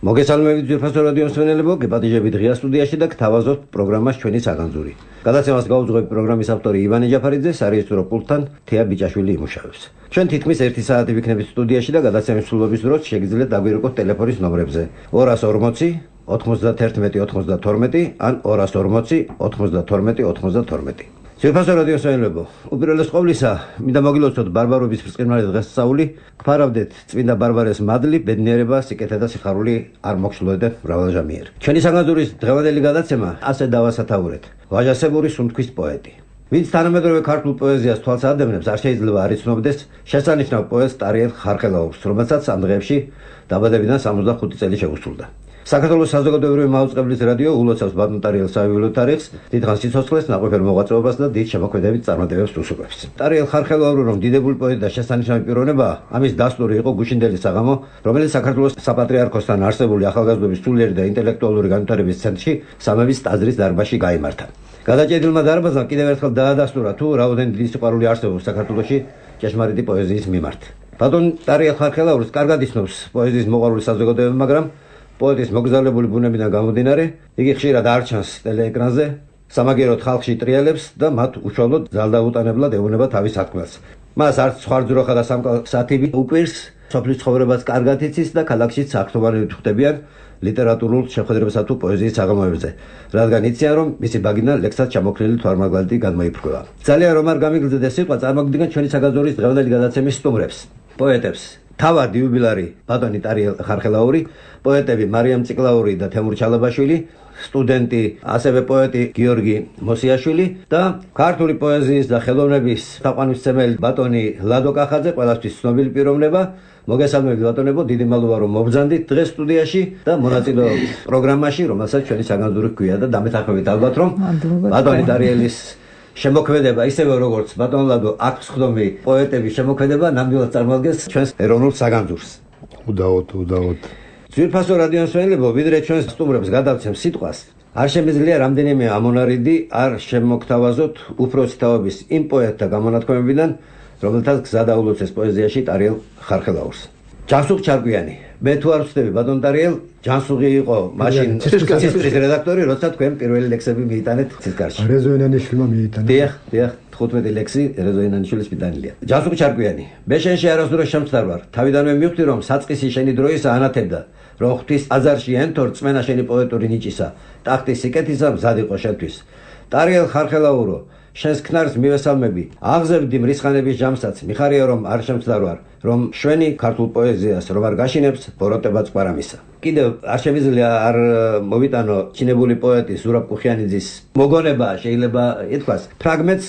მოგესალმებით ძვირფასო რადიო მსმენელებო, გეპატიჟებით ღია სტუდიაში და გთავაზობთ პროგრამას ჩვენი საგანძური. გადაცემას გაუძღვებით პროგრამის ავტორი ივანე ჯაფარიძე, სარეჟისორო პულტთან თეა ბიჭაშვილი იმუშავებს. ჩვენ თითქმის 1 საათი ვიქნებით სტუდიაში და გადაცემის სრულობის დროს შეგიძლიათ დაგვირეკოთ ტელეფონის ნომრებზე 240 91 92 ან 240 92 92. ძვირფასო რადიო მსმენელებო, უპირველეს ყოვლისა, მინდა მოგილოცოთ ბარბარების ბრწყინვალე დღესასწაული, გფარავდეთ წმინდა ბარბარეს მადლი, ბედნიერება, სიკეთე და სიხარული არ მოგსულოდეთ მრავალჟამიერ. ჩვენი საგანძურის დღევანდელი გადაცემა ასე დავასათაურეთ. ვაჟასებური სუნთქვის პოეტი. ვინც თანამედროვე ქართულ პოეზიას თვალს ადევნებს, არ შეიძლება არ იცნობდეს შესანიშნავ პოეტს ტარიელ ხარხელაურს, რომელსაც ამ დღეებში დაბადებიდან 65 წელი შეუსრულდა. საქართველოს საზოგადოებრივი მაუწყებლის რადიო ულოცავს ბატონ ტარიელ საიუველო თარიღს, დიდხანს სიცოცხლეს, ნაყოფიერ მოღვაწეობას და დიდ შემოქმედებით წარმატებებს უსურვებს. ტარიელ ხარხელაური რომ დიდებული პოეტი და შესანიშნავი პიროვნებაა, ამის დასტური იყო გუშინდელი საღამო, რომელიც საქართველოს საპატრიარქოსთან არსებული ახალგაზრდობის სულიერი და ინტელექტუალური განვითარების ცენტრში სამების ტაძრის დარბაზში გაიმართა. გადაჭედილმა დარბაზმა კიდევ ერთხელ დაადასტურა თუ რაოდენ დიდი სიყვარული არსებობს საქართველოში ჭეშმარიტი პოეზიის მიმართ. ბატონ ტარიელ ხარხელაურს კარგად იცნობს პოეზიის მოყვარული საზოგადოება, მაგრამ პოეტის მოგზაურებული ბუნებიდან გამომდინარე, იგი ხშირად არ ჩანს ტელეეკრანზე, სამაგიეროდ ხალხში ტრიალებს და მათ უშუალოდ ძალდაუტანებლად ეუბნება თავის სათქმელს. მას არც სხვარძროხა და სამკალსათიბი უკვირს, სოფლის ცხოვრებას კარგად იცის და ქალაქშიც საქმიანობით ხვდებიან ლიტერატურულ შეხვედრებსა თუ პოეზიის საღამოებზე, რადგან იციან, რომ მისი ბაგინა ლექსად ჩამოქნილი თვალმაგალითი გადმოიფრქვევა. ძალიან რომ არ გამიგრძელდეს სიტყვა, წარმოგიდგენთ ჩვენი საგანძურის დღევანდელი გადაცემის სტუმრებს, პოეტებს. თავად იუბილარი ბატონი ტარიელ ხარხელაური, პოეტები მარიამ ციკლაური და თემურ ჩალაბაშვილი, სტუდენტი, ასევე პოეტი გიორგი მოსიაშვილი და ქართული პოეზიის და ხელოვნების თაყვანისმცემელი ბატონი ლადო კახაძე, ყველასთვის ცნობილი პიროვნება. მოგესალმებით ბატონებო, დიდი მადლობა რომ მობრძანდით დღეს სტუდიაში და მონაწილეობით პროგრამაში, რომელსაც ჩვენი საგანძური ჰქვია და დამეთანხმებით ალბათ რომ ბატონი ტარიელის შემოქმედება, ისევე როგორც ბატონ ლადო აქვს ხდომი პოეტების შემოქმედება, ნამდვილად წარმოადგენს ჩვენს ეროვნულ საგანძურს. უდაოდ. ძვირფასო რადიო მსმენელებო, ვიდრე ჩვენს სტუმრებს გადავცემ სიტყვას, არ შემიძლია რამდენიმე ამონარიდი არ შემოგთავაზოთ უფროსი თაობის იმ პოეტთა გამონათქვამებიდან, რომელთაც გზა დაულოცეს პოეზიაში ტარიელ ხარხელაურს. ჯანსუღ ჩარკვიანი. მე თუ არ ვწდები ბატონ ტარიელ, ჯანსუღი იყო მაშინ ცისკრის რედაქტორი, როცა თქვენ პირველი ლექსები მიიტანეთ ცისკარში. რეზო ენანიშვილმა მიიტანა. დიახ, 15 ლექსი რეზო ენანიშვილის მიტანილია. ჯანსუღ ჩარკვიანი. მე შენში არასდროს შემწდარ ვარ. თავიდანვე მივხვდი რომ საწყისი შენი დროისა ანათებდა, რომ ღვთის აზარში ენთო რწმენა შენი პოეტური ნიჭისა, ტახტის სიკეთისა მზად იყო შენთვის. ტარიელ ხარხელაურო, შენს ქნარს მივესალმები, აღზევდი მრისხანების ჯამსაც, მიხარია რომ არ შემწდარ ვარ, რომ შვენი ქართულ პოეზიას რომ არ გაშინებს ბოროტებაც ყვარამისა. კიდევ არ შემიძლია არ მოვიტანო ჩინებული პოეტი ზურაბ კუხიანიძის მოგონება, შეიძლება ითქვას, ფრაგმენტს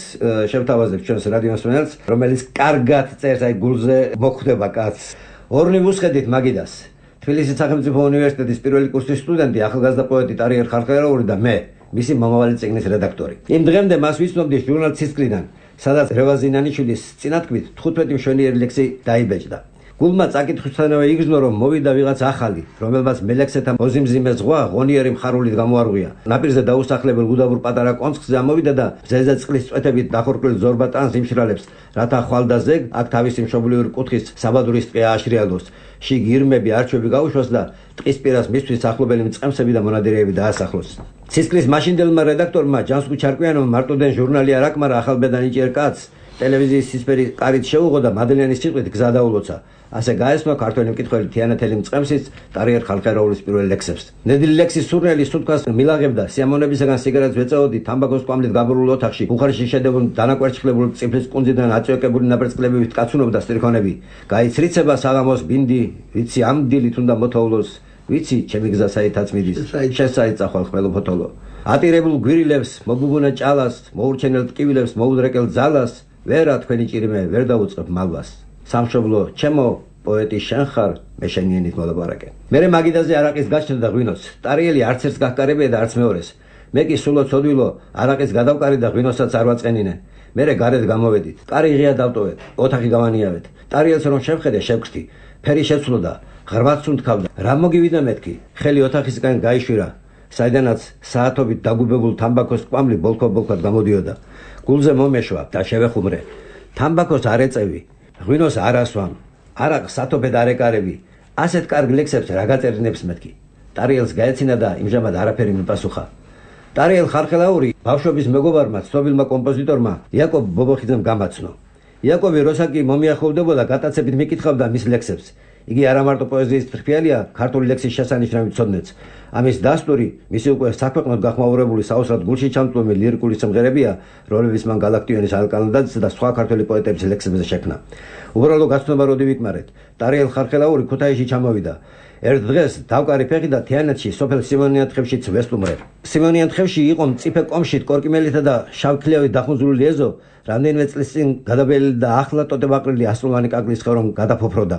შევთავაზებ ჩვენს რადიო მსმენელს, რომელიც კარგად წერს, აი გულზე მოხვდება კაცს. ორნი ვუსხედით მაგიდას. თბილისის სახელმწიფო უნივერსიტეტის პირველი კურსის სტუდენტი, ახალგაზრდა პოეტი ტარიელ ხარხელაური და მე, მისი მომავალი წიგნის რედაქტორი. იმ დღემდე მას ვიცნობდი ჟურნალ ცისკრიდან, სადაც რევაზინანიშვილის წინათქმით 15 მშვენიერი ლექსი დაიბეჭდა. გულმა წაკითხვისთანავე იგრძნო, რომ მოვიდა ვიღაც ახალი, რომელმაც მელექსეთა მოზიმზიმე ზღვა ღონიერი მხარულით გამოარღვია. ნაპირზე დაუსახლებელ უდაბურ პატარა კონცხზე ამოვიდა და მზეზე წყლის წვეთებით დახორკრილ ზორბა ტანს იმშრალებს, რათა ხვალ და ზეგ აქ თავისი მშობლიური კუთხის საბადურის ტყე ააშრიალოს. შიგ ირმები, არჩევი გაუშვას და ტყის პირას მისთვის ახლობელი მწყემსები და მონადირეები დაასახლოს. ცისკრის მაშინდელმა რედაქტორმა ჯანსუღ ჩარკვიანოვმა მარტოდენ ჟურნალი არ აკმარა ახალბედა ნიჭიერ კაცს, ტელევიზიის სისფერი კარით შეუღო და მადლიანის სიტყვით გზა დაულოცა. ასე გაესმა ქართველი მკითხველი თიანეთელი მწყემსიც ტარიელ ხარხელაურის პირველ ლექსებს. ნედლი ლექსის სურნელი სუთქას მილაღებდა, სიამოვნებისაგან სიგარეტს ვეწაოდი, თამბაქოს კვამლით გაბურულ ოთახში, ბუხარში შედებული დანაკვერცხლებული წიფლის კუნძიდან აწვეკებული ნაპერწკლებით კაცუნობდა სტრიქონები. გაიცრიცება საღამოს ბინდი, ვიცი ამ დილით უნდა მოთოვლოს, ვიცი ჩემი გზა საითაც მიდის, შესაით წახვალ ხმელო ფოთოლო. ატირებულ გვირილებს, მოგუგუნა ჭალას, მოურჩენელ ტკივილებს, მოუდრეკელ ძალას, ვერა თქვენი ჭირიმე, ვერ დაუწყებ მალვას. სამშობლო ჩემო, პოეტი შენ ხარ, მე შენიენით მოლაპარაკე. მერე მაგიდაზე არაყის გაჩნდა და ღვინოს. ტარიელი არც ერთს გახკარებია და არც მეორეს. მე კი სულო ცოდვილო, არაყის გადავკარი და ღვინოსაც არ ვაწყენინე. მერე გარეთ გამოვედით. კარი ღია დავტოვეთ, ოთახი გავანიავეთ. ტარიელს რომ შევხედე, შევქრთი. ფერი შეცვლოდა, ღრმად სუნთქავდა. რა მოგივიდა მეთქი? ხელი ოთახისგან გაიშვირა. საიდანაც საათობით დაგუბებულ თამბაქოს კვამლი ბოლქო-ბოლქოდ გამოდიოდა. გულზე მომეშვა და შევეხუმრე. თამბაქოს არ ეწევი, ღვინოს არ ასვამ, არაყს სათოფედ არ ეკარები. ასეთ კარგ ლექსებს რა გაწერინებს მეთქი? ტარიელს გაეცინა და იმჟამად არაფერი მიპასუხა. ტარიელ ხარხელაური ბავშვობის მეგობარმა ცნობილმა კომპოზიტორმა იაკობ ბობოხიძემ გამაცნო. იაკობი როსაკი მომიახოვდებოდა გატაცებით მიკითხავდა მის ლექსებს. იგი არა მარტო პოეზიის ფრფიალია, ქართული ლექსის შესანიშნავი ცოდნეც. ამის დასტური მისი უკვე საქვეყნოდ გახმაურებული საოცრად გულში ჩამწვდომი ლირიკული სიმღერებია, რომლებიც მან გალაქტიონის ალკალანდაძის და სხვა ქართველი პოეტების ლექსებზე შექმნა. უბრალო გაცნობა როდი ვიკმარეთ, ტარიელ ხარხელაური ქუთაისში ჩამოვიდა. ერთ დღეს დავკარი ფეხი და თიანეთში სოფელ სიმონიანთხევშიც ვესტუმრე. სიმონიანთხევში იყო მწიფე კომშით კორკიმელითა და შავქლიავით დახუნძურული ეზო, რამდენიმე წლის წინ გადაბელი და ახლა ტოტებაყრილი ასწლოვანი კაკლის ხე რომ გადაფოფროდა.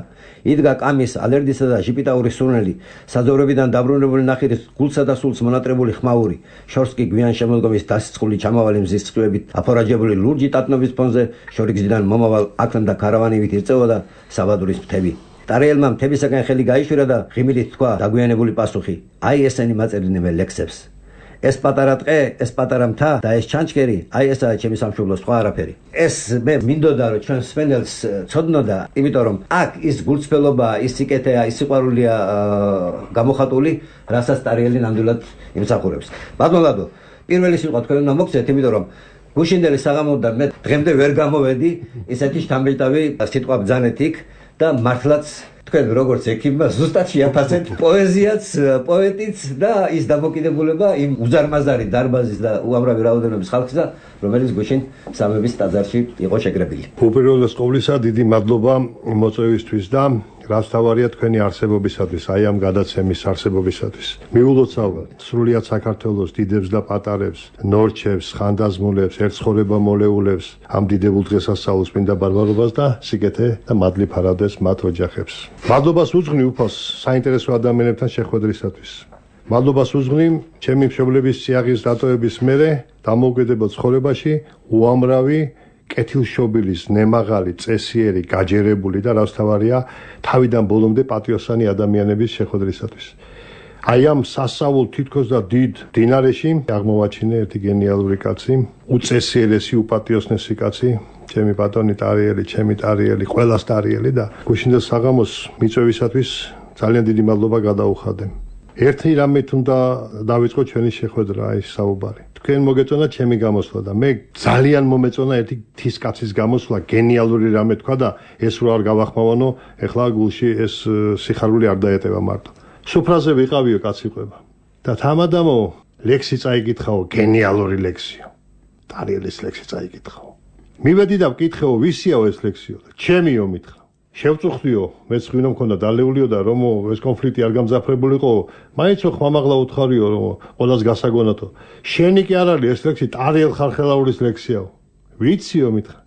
იდგა კამის, ალერდისა და ჟიპიტაურის სურნელი, საძოვრებიდან დაბრუნებული ნახირის გულსა და სულს მონატრებული ხმაური, შორს კი გვიან შემოდგომის დასიწყული ჩამავალი მზის წყვილებით აფორაჯებული ლურჯი ტატნობის ფონზე შორიგზიდან მომავალ აქლემ და ქარავანივით ირწევოდა საბადურის მთები. ტარიელმა მთებისაგან ხელი გაიშვირა და ღიმილით თქვა დაგვიანებული პასუხი. აი ესენი მაწერიდნენ მე ლექსებს. ეს პატარა ტყე, ეს პატარა მთა და ეს ჩანჩქერი, აი ესაა ჩემი სამშობლოს სხვა არაფერი. ეს მე მინდოდა რომ ჩვენ სპენელს ცოდნოდა, იმიტომ რომ აქ ის გულწრფელობა, ის სიკეთეა, ის სიყვარულია გამოხატული, რასაც ტარიელი ნამდვილად იმსახურებს. ბატონო, პირველი სიტყვა თქვენ უნდა მოგცეთ, იმიტომ რომ გუშინდელი საღამოდან მე დღემდე ვერ გამოვედი ისეთი შთამბეჭდავი სიტყვა ბძანეთ იქ და მართლაც თქვენ როგორც ექიმმა ზუსტად შეაფასეთ პოეზიაც, პოეტიც და ის დამოკიდებულება იმ უზარმაზარი დარბაზის და უამრავი რაოდენობის ხალხისა, რომელიც გუშინ სამების ტაძარში იყო შეკრებილი. უპირველეს ყოვლისა დიდი მადლობა მოწვევისთვის და რაც თავარია თქვენი არსებობისათვის, აი ამ გადაცემის არსებობისათვის. მიულოცავთ სრულიად საქართველოს დიდებს და პატარებს, ნორჩებს, ხანდაზმულებს, ერთცხოვრება მოლეულებს, ამ დიდებულ დღესასწაულს მინდა ბარბარობას და სიკეთე და მადლი ფარავდეს მათ ოჯახებს. მადლობას უძღვნი უფალს საინტერესო ადამიანებთან შეხვედრისათვის. მადლობას უძღვნი ჩემი მშობლების სიაღის დატოვების მერე დამოუკიდებელ ცხოვრებაში უამრავი კეთილშობილის, ნემაღალი, წესიერი, გაჯერებული და რაც თავარია თავიდან ბოლომდე პატრიოტსანი ადამიანების შეხვედრისათვის. აი ამ სასწაულ თითქოს და დიდ დინარეში აღმოვაჩინე ერთი გენიალური კაცი, უწესიერესი, უპატრიოტსნესი კაცი, ჩემი ბატონი ტარიელი, ჩემი ტარიელი, ყველას ტარიელი და გუშინდელ საღამოს მიწვევისათვის ძალიან დიდი მადლობა გადაუხადე. ერთი რამით უნდა დავიწყო ჩვენი შეხვედრა, აი საუბარი. თქვენ მოგეწონა ჩემი გამოსვლა და მე ძალიან მომეწონა ერთი თის კაცის გამოსვლა, გენიალური რამე თქვა და ეს რო არ გავახმოვანო, ეხლა გულში ეს სიხარული არ დაეტევა მარტო. სუფრაზე ვიყავიო კაცი ყვება. და თამადამო ლექსი წაიკითხაო, გენიალური ლექსიო. ტარიელის ლექსი წაიკითხაო. მივედი და ვკითხეო, ვისიაო ეს ლექსიო და ჩემიო მითხრა. შევწუხდიო, მეც ღვინო მქონდა დალეულიო და რომ ეს კონფლიქტი არ გამძაფრებულიყო, მაინც ხმამაღლა უთხარიო რომ ყველას გასაგონათო. შენი კი არ არის ეს ლექსი ტარიელ ხარხელაურის ლექსიაო. ვიციო მითხრა.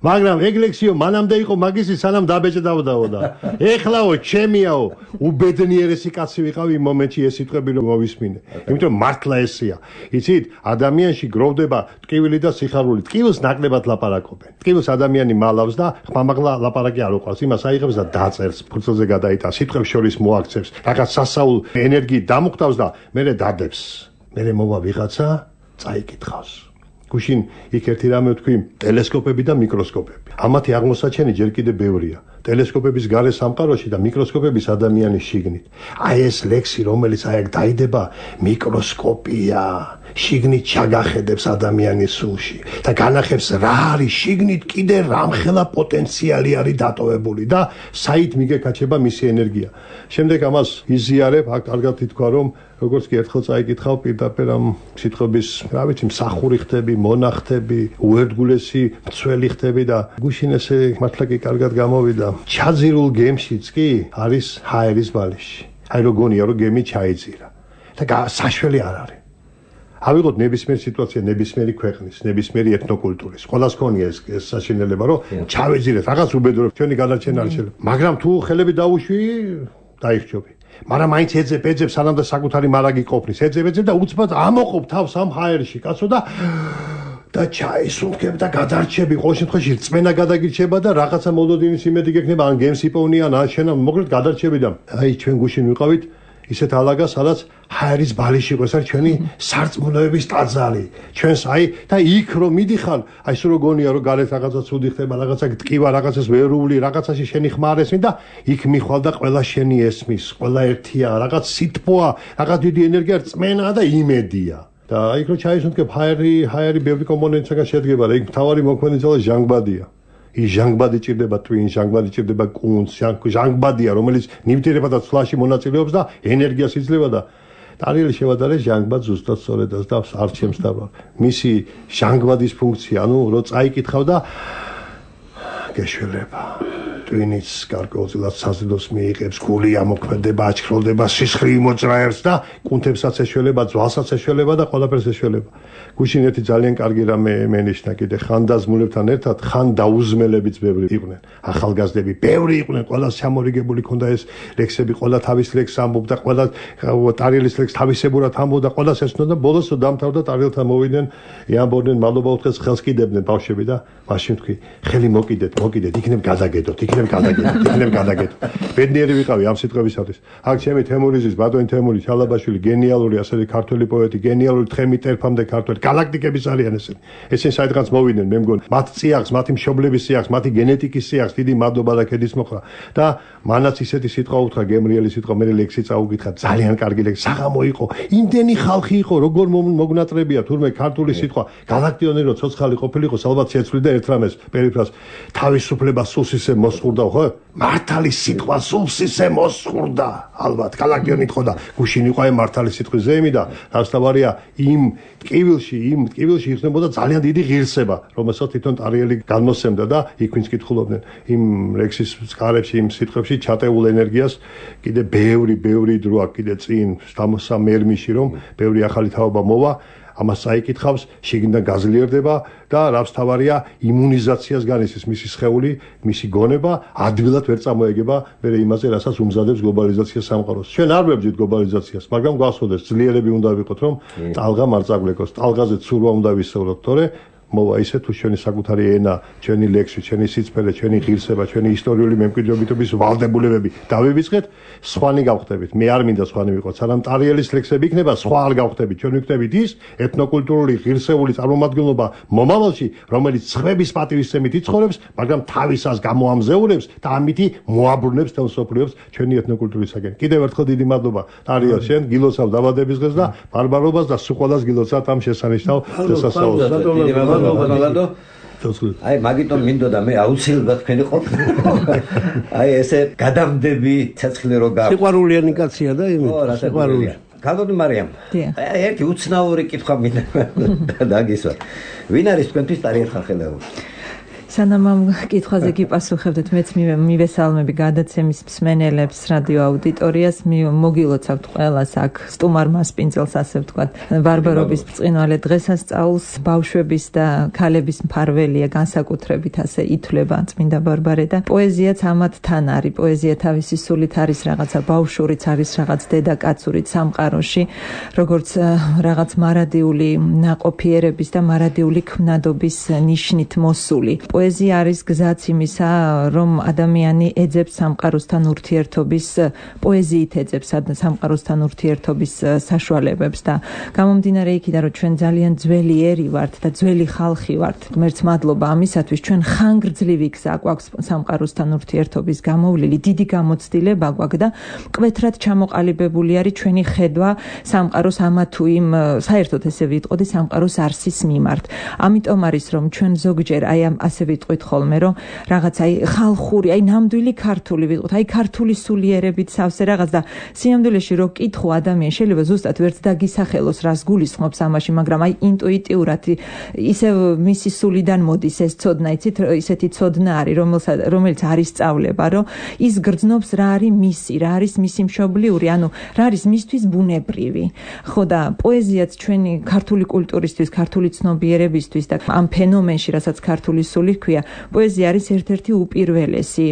მაგრამ ეგ ლექსიო მანამდე იყო მაგისი სანამ დაბეჭდავდაო და ეხლაო ჩემიაო უბედნიერესი კაცი ვიყავი იმ მომენტში ეს სიტყვები რომ მოვისმინე. იმიტომ მართლა ესეა. იცით, ადამიანში გროვდება ტკივილი და სიხარული. ტკივილს ნაკლებად ლაპარაკობენ. ტკივილს ადამიანი მალავს და ხმამაღლა ლაპარაკი არ უყვარს. იმას აიღებს და დაწერს, ფურცელზე გადაიტანს, სიტყვებს შორის მოაქცევს, რაღაც სასაულ ენერგიით დამუხტავს და მერე დადებს. მერე მოვა ვიღაცა, წაიკითხავს. გუშინ იქ ერთი რამე ვთქვი, ტელესკოპები და მიკროსკოპები. ამათი აღმოსაჩენი ჯერ კიდევ ბევრია. ტელესკოპების გარე სამყაროში და მიკროსკოპების ადამიანის შიგნით. აი ეს ლექსი, რომელიც აი აქ დაიდება, მიკროსკოპია. შიგნით ჩაგახედებს ადამიანის სულში და განახებს რა არის შიგნით კიდე რამხელა პოტენციალი არის დატოვებული და საით მიგეკაჩება მისი ენერგია. შემდეგ ამას იზიარებ, აქ კარგად ითქვა რომ როგორც კი ერთხელ წაიკითხავ პირდაპირ ამ სიტყვების, რა ვიცი, მსახური ხდები, მონახტები, უერთგულესი მცველი ხდები და გუშინ ესე მართლა კი კარგად გამოვიდა. ჩაძირულ გემშიც კი არის ჰაერის ბალიში. აი როგორია რომ გემი ჩაიძირა და საშველი არ არის. ავიღოთ ნებისმიერ სიტუაცია, ნებისმიერი ქვეყნის, ნებისმიერი ეთნოკულტურის. ყველას ქონია ეს საშინელება, რომ ჩავეძირეთ, რაღაც უბედურებ, ჩვენი გადარჩენა არ შეიძლება. მაგრამ თუ ხელები დაუშვი, დაიხჯობი. მაგრამ მაინც ეძებ, სანამ და საკუთარი მარაგი ყოფნის, ეძებ და უცბად ამოყოფ თავს ამ ჰაერში, კაცო და ჩაისუნთქებ და გადარჩები, ყოველ შემთხვევაში რწმენა გადაგირჩება და რაღაცა მოლოდინის იმედი გექნება, ან გემს იპოვნიან, ან შენა, მოკლედ გადარჩები და აი ჩვენ გუშინ ვიყავით ისეთ ალაგას, სადაც ჰაერის ბალიში იყო, ეს არის ჩვენი სარწმუნოების ტაძარი. ჩვენს და იქ რომ მიდიხარ, სულ გონია რომ გარეთ რაღაცა ცუდი ხდება, რაღაცა ტკივა, რაღაცას ვერული, რაღაცაში შენი ხმა არ ესმის და იქ მიხვალ და ყველა შენი ესმის, ყველა ერთია, რაღაც სითბოა, რაღაც დიდი ენერგია, რწმენა და იმედია. და იქ რომ ჩაისუნთქებ ჰაერი ბევრი კომპონენტისგან შედგება და იქ მთავარი მოქმედი ძალა ჟანგბადია. ის ჟანგბადი ჭირდება ტვინს, ჟანგბადი ჭირდება კუნძს, ჟანგბადია, რომელიც ნივთიერება და ცვლაში მონაწილეობს და ენერგიას იძლევა და ტარიელი შევადარეს ჟანგბადს ზუსტად სწორედაც და არჩევს და მისი ჟანგბადის ფუნქცია, რო წაიკითხავ და გეშველება. ტვინიც გარკვეულწილად საზრდოს მიიღებს, გული ამოქმედება, აჩქროლდება, სისხლი იმოძრაებს და კუნთებსაც ეშველება, ძვალსაც ეშველება და ყველაფერს ეშველება. გუშინ ერთი ძალიან კარგი რამე მენიშნა კიდე ხანდაზმულებთან ერთად, ხან დაუზმელებიც ბევრი იყვნენ. ახალგაზრდები ბევრი იყვნენ, ყველას ჩამორიგებული ქონდა ეს ლექსები, ყველა თავის ლექსს ამბობდა, ყველა ტარიელის ლექსს თავისებურად ამბობდა, ყველას ესწონდა და ბოლოს დამთავრდა ტარიელთან მოვიდნენ, ამბობდნენ მადლობა უთხრეს, ხელს კიდებდნენ ბავშვები და მაშინ თქვი, ხელი მოკიდეთ, იქნებ გადაგედოთ, იქნებ გადაგედოთ. ბედნიერი ვიყავი ამ სიტყვებისათვის. აქ ჩემი თემურიზის, ბატონი თემური ჩალაბაშვილი, გენიალური ასეთი ქართველი პოეტი, გენიალური თხემი ტერფამდე ქართველი, galaktikების არიან ესენი. ესენი საერთოდ მოვიდნენ, მე მგონი, მათ წიაღს, მათი მშობლების წიაღს, მათი გენეტიკის წიაღს, დიდი მადლობა და ქედის მოხრა. და მანაც ისეთი სიტყვა უთხრა, გემრიელი სიტყვა, მე ლექსი წაუკითხა, ძალიან კარგი ლექსი, საღამო იყო, იმდენი ხალხი იყო, როგორ მოგნატრებია, თურმე ქართული სიტყვა, galaktionი რო ცოცხალი ყოფილიყო, ალბათ შეცვლიდა ერთ რამეს, პერიფრას, თავისუფლება სულს ისე მოსხურდა, ხო? მართალი სიტყვა სულს ისე მოსხურდა, ალბათ, galaktionი თქო და გუშინ იყო აი მართალი სიტყვის ზეიმი და რასთავარია იმ ტკივილში იხსნებოდა ძალიან დიდი ღირსება, რომელსაც თვითონ ტარიელი განმოსცემდა და იქ ვინც კითხულობდნენ იმ ლექსის წყარებში, იმ სიტყვებში ჩატეულ ენერგიას კიდე ბევრი დრო აქვს კიდე წინ სამერმიში რომ ბევრი ახალი თაობა მოვა, ამას წაიკითხავს, შიგნიდან გაძლიერდება და რაც თავარია იმუნიზაციას განიცდის მისი სხეული, მისი გონება ადვილად ვერ წამოეგება მე იმაზე, რასაც უმზადებს გლობალიზაცია სამყაროს. ჩვენ არ ვებძით გლობალიზაციას, მაგრამ გვახსოვდეს ძლიერები უნდა ვიყოთ, რომ ტალღა არ წაგვეკოს, ტალღაზე ცურვა უნდა ვისწავლოთ, თორე მოვა ისე თუ ჩვენი საკუთარი ენა, ჩვენი ლექსი, ჩვენი სიძფერე, ჩვენი ღირსება, ჩვენი ისტორიული მემკვიდრეობითობის ვალდებულებები დავივიწყეთ, სხვანი გავხდებით. მე არ მინდა სხვანი ვიყოთ, სანამ ტარიელის ლექსები იქნება, სხვა არ გავხდებით. ჩვენ ვიქნებით ის ეთნოკულტურული ღირსეული წარმომადგენლობა მომავალში, რომელიც ცხების პატივისცემით იცხოვრებს, მაგრამ თავისას გამოამზეურებს და ამითი მოაბრუნებს თელ სოფლიოს ჩვენი ეთნოკულტურისაგან. კიდევ ერთხელ დიდი მადლობა. ტარიელ, შენ გილოცავ დაბადების დღეს და ბარბარობას და სულ ყველას გილოცავთ ამ შესანიშნავ დღესასწაულს. აი მაგიტომ მინდოდა მე აუცილებლად თქვენი ყოფნა. აი ესე გადამდები ცეცხლი რო გაქვს. სიყვარულიანი კაცია და სიყვარული. გაგონი მარიამ. ერთი უცნაური კითხვა მინდა დაგისვა. ვინ არის თქვენთვის ტარიელ ხალხელეობა? სანამ ამ კითხვაზე გიპასუხებდეთ, მეც მივესალმები გადაცემის მსმენელებს, რადიო აუდიტორიას, მოგილოცავთ ყველას აქ სტუმარ მასპინძელს, ასე ვთქვათ, ბარბარობის ბრწყინვალე დღესასწაულს, ბავშვების და ქალების მფარველია, განსაკუთრებით ასე ითვლება წმინდა ბარბარე და პოეზიაც ამათთან არის, პოეზია თავისი სულით არის რაღაცა ბავშვურიც, არის რაღაც დედაკაცურით სამყაროში, როგორც რაღაც მარადიული ნაყოფიერების და მარადიული ქმნადობის ნიშნით მოსული. პოეზია არის გზაც იმისა, რომ ადამიანი ეძებს სამყაროსთან ურთიერთობის, პოეზიით ეძებს სამყაროსთან ურთიერთობის საშუალებებს და გამომდინარე იქიდან, რომ ჩვენ ძალიან ძველი ერი ვართ და ძველი ხალხი ვართ. ღმერთს მადლობა ამისათვის, ჩვენ ხანგრძლივი გზა გვაქვს სამყაროსთან ურთიერთობის გამოვლილი, დიდი გამოცდილება გვაქვს და მკვეთრად ჩამოყალიბებული არის ჩვენი ხედვა სამყაროს ამა თუ იმ, საერთოდ ესე ვიტყოდი, სამყაროს არსის მიმართ. ამიტომ არის, რომ ჩვენ ზოგჯერ აი ამ ასე ვიტყვით ხოლმე, რომ რაღაც აი ხალხური, აი ნამდვილი ქართული ვიტყვით, აი ქართული სულიერებით სავსე რაღაც და სიამდვილეში რო კითხო ადამიანი შეიძლება ზუსტად ვერც დაგისახელოს რას გულისხმობს ამაში, მაგრამ აი ინტუიტიურად ისევ მისი სულიდან მოდის ეს ცოდნა, იცით, ისეთი ცოდნა არის, რომელიც არის სწავლება, რომ ის გრძნობს რა არის მისი, რა არის მისი მშობლიური, ანუ რა არის მისთვის ბუნებრივი. ხო და პოეზიაც ჩვენი ქართული კულტურისთვის, ქართული ცნობიერებისთვის და ამ ფენომენში, რასაც ქართული სული ქვია, პოეზია არის ერთ-ერთი უპირველესი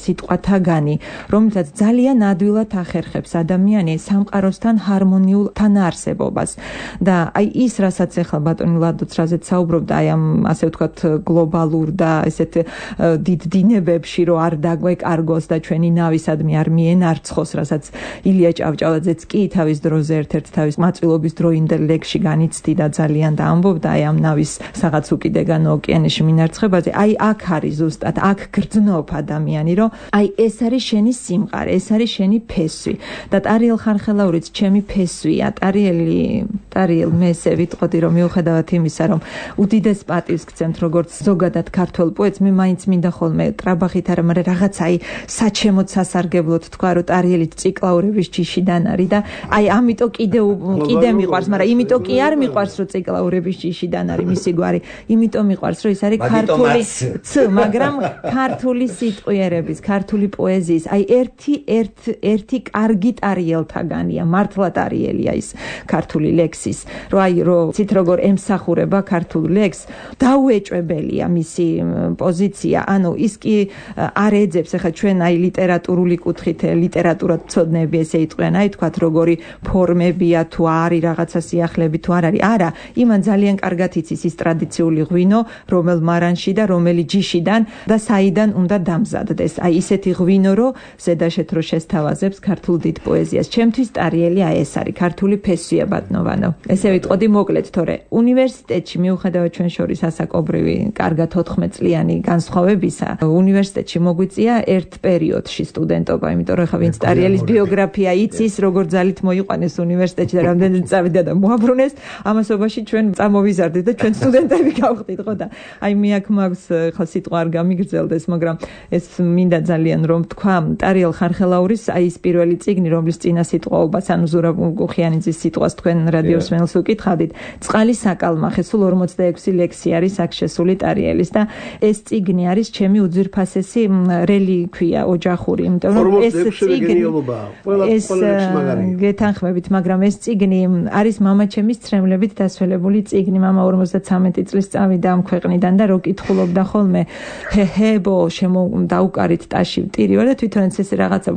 სიტყვათაგანი, რომელსაც ძალიან ადვილად ახერხებს ადამიანი სამყაროსთან ჰარმონიულ თანაარსებობას. და აი ის, რასაც ახლა ბატონი ლადოც რაზეც საუბრობდა, აი ამ ასე ვთქვათ გლობალურ და ესეთ დიდ დინებებში რომ არ დაგვეკარგოს და ჩვენი ნავისადმი არ მიენარცხოს, რასაც ილია ჭავჭავაძეც კი თავის დროზე ერთ-ერთ თავის მაწვილობის დროინდელ ლექსში განიცდიდა ძალიან და ამბობდა აი ამ ნავის რაღაც უკიდეგან ოკეანეში მინარცხებაზე. აი აქ არის ზუსტად, აქ გრძნობ ადამიანი, რომ აი ეს არის შენი სიმყარე, ეს არის შენი ფესვი. და ტარიელ ხარხელაურიც ჩემი ფესვია. ტარიელ მე ესე ვიტყოდი, რომ მიუხედავად იმისა, რომ უდიდეს პატივს გცემთ როგორც ზოგადად ქართველ პოეტს, მე მაინც მინდა ხოლმე ტრაბახით არა, მაგრამ რაღაცა აი საჩემოდ სასარგებლოდ თქვა, რომ ტარიელით ციკლაურების ჯიშიდან არის და აი ამიტომ კიდე მიყვარს, მაგრამ იმიტომ კი არ მიყვარს, რომ ციკლაურების ჯიშიდან არის მისი გვარი, იმიტომ მიყვარს, რომ ის არის ქართული მაგრამ ქართული სიტყვიერების, ქართული პოეზიის, აი ერთი კარგი ტარიელთაგანია, მართლა ტარიელია ის ქართული ლექსის, რომ ცით როგორ ემსახურება ქართულ ლექსს, დაუეჭვებელია მისი პოზიცია, ანუ ის კი არ ეძებს, ახლა ჩვენ აი ლიტერატურული კუთხით, ლიტერატურად მცოდნეები ესე იტყვიან, აი თქვათ როგორი ფორმებია თუ არის რაღაცა სიახლეები თუ არ არის, არა, იმან ძალიან კარგად იცის ის ტრადიციული ღვინო, რომელ მარანში და რომელი ჯიშიდან და საიდან უნდა დამზადდეს. აი ისეთი ღვინო, რომ ზედაშეთ რო შესთავაზებს ქართულ დიდ პოეზიას. ჩემთვის ტარიელი აი ეს არის ქართული ფესვია ბატონო. ესე ვიტყოდი მოკლედ, თორე უნივერსიტეტში მიუხედავად ჩვენ შორის ასაკობრივი კარგად 14 წლიანი განსხვავებისა, უნივერსიტეტში მოგვიწია ერთ პერიოდში სტუდენტობა, იმიტომ რომ ხა ვინც ტარიელის ბიოგრაფია იცის, როგორ ძალით მოიყვანეს უნივერსიტეტში და რამდენად წავიდა და მოაბრუნეს, ამასობაში ჩვენ წამოვიზარდით და ჩვენ სტუდენტები გავხდით, ხო და აი მე აქ მაქვს ხა სიტყვა არ გამიგრძელდეს, მაგრამ ეს მინდა ძალიან რომ თქვა, ტარიელ ხარხელაურის აი ეს პირველი წიგნი, რომლის წინა სიტყვაობას, ანუ ზურაბ გუხიანიძის სიტყვას თქვენ რადიოს მენელს უკითხავდით, წყალი საკალმახე, სულ 46 ლექსი არის აქ შესული ტარიელის და ეს წიგნი არის ჩემი უძვირფასესი რელიკვია ოჯახური, იმიტომ რომ ეს წიგნი გეთანხმებით, მაგრამ ეს წიგნი არის მამაჩემის ცრემლებით დასველებული წიგნი. მამა 53 წლის წავიდა ამ ქვეყნიდან და რო კითხულობდა ხოლმე ჰეჰებო დაუკარით ტაში ვტირი ვარ და თვითონაც ეს რაღაცა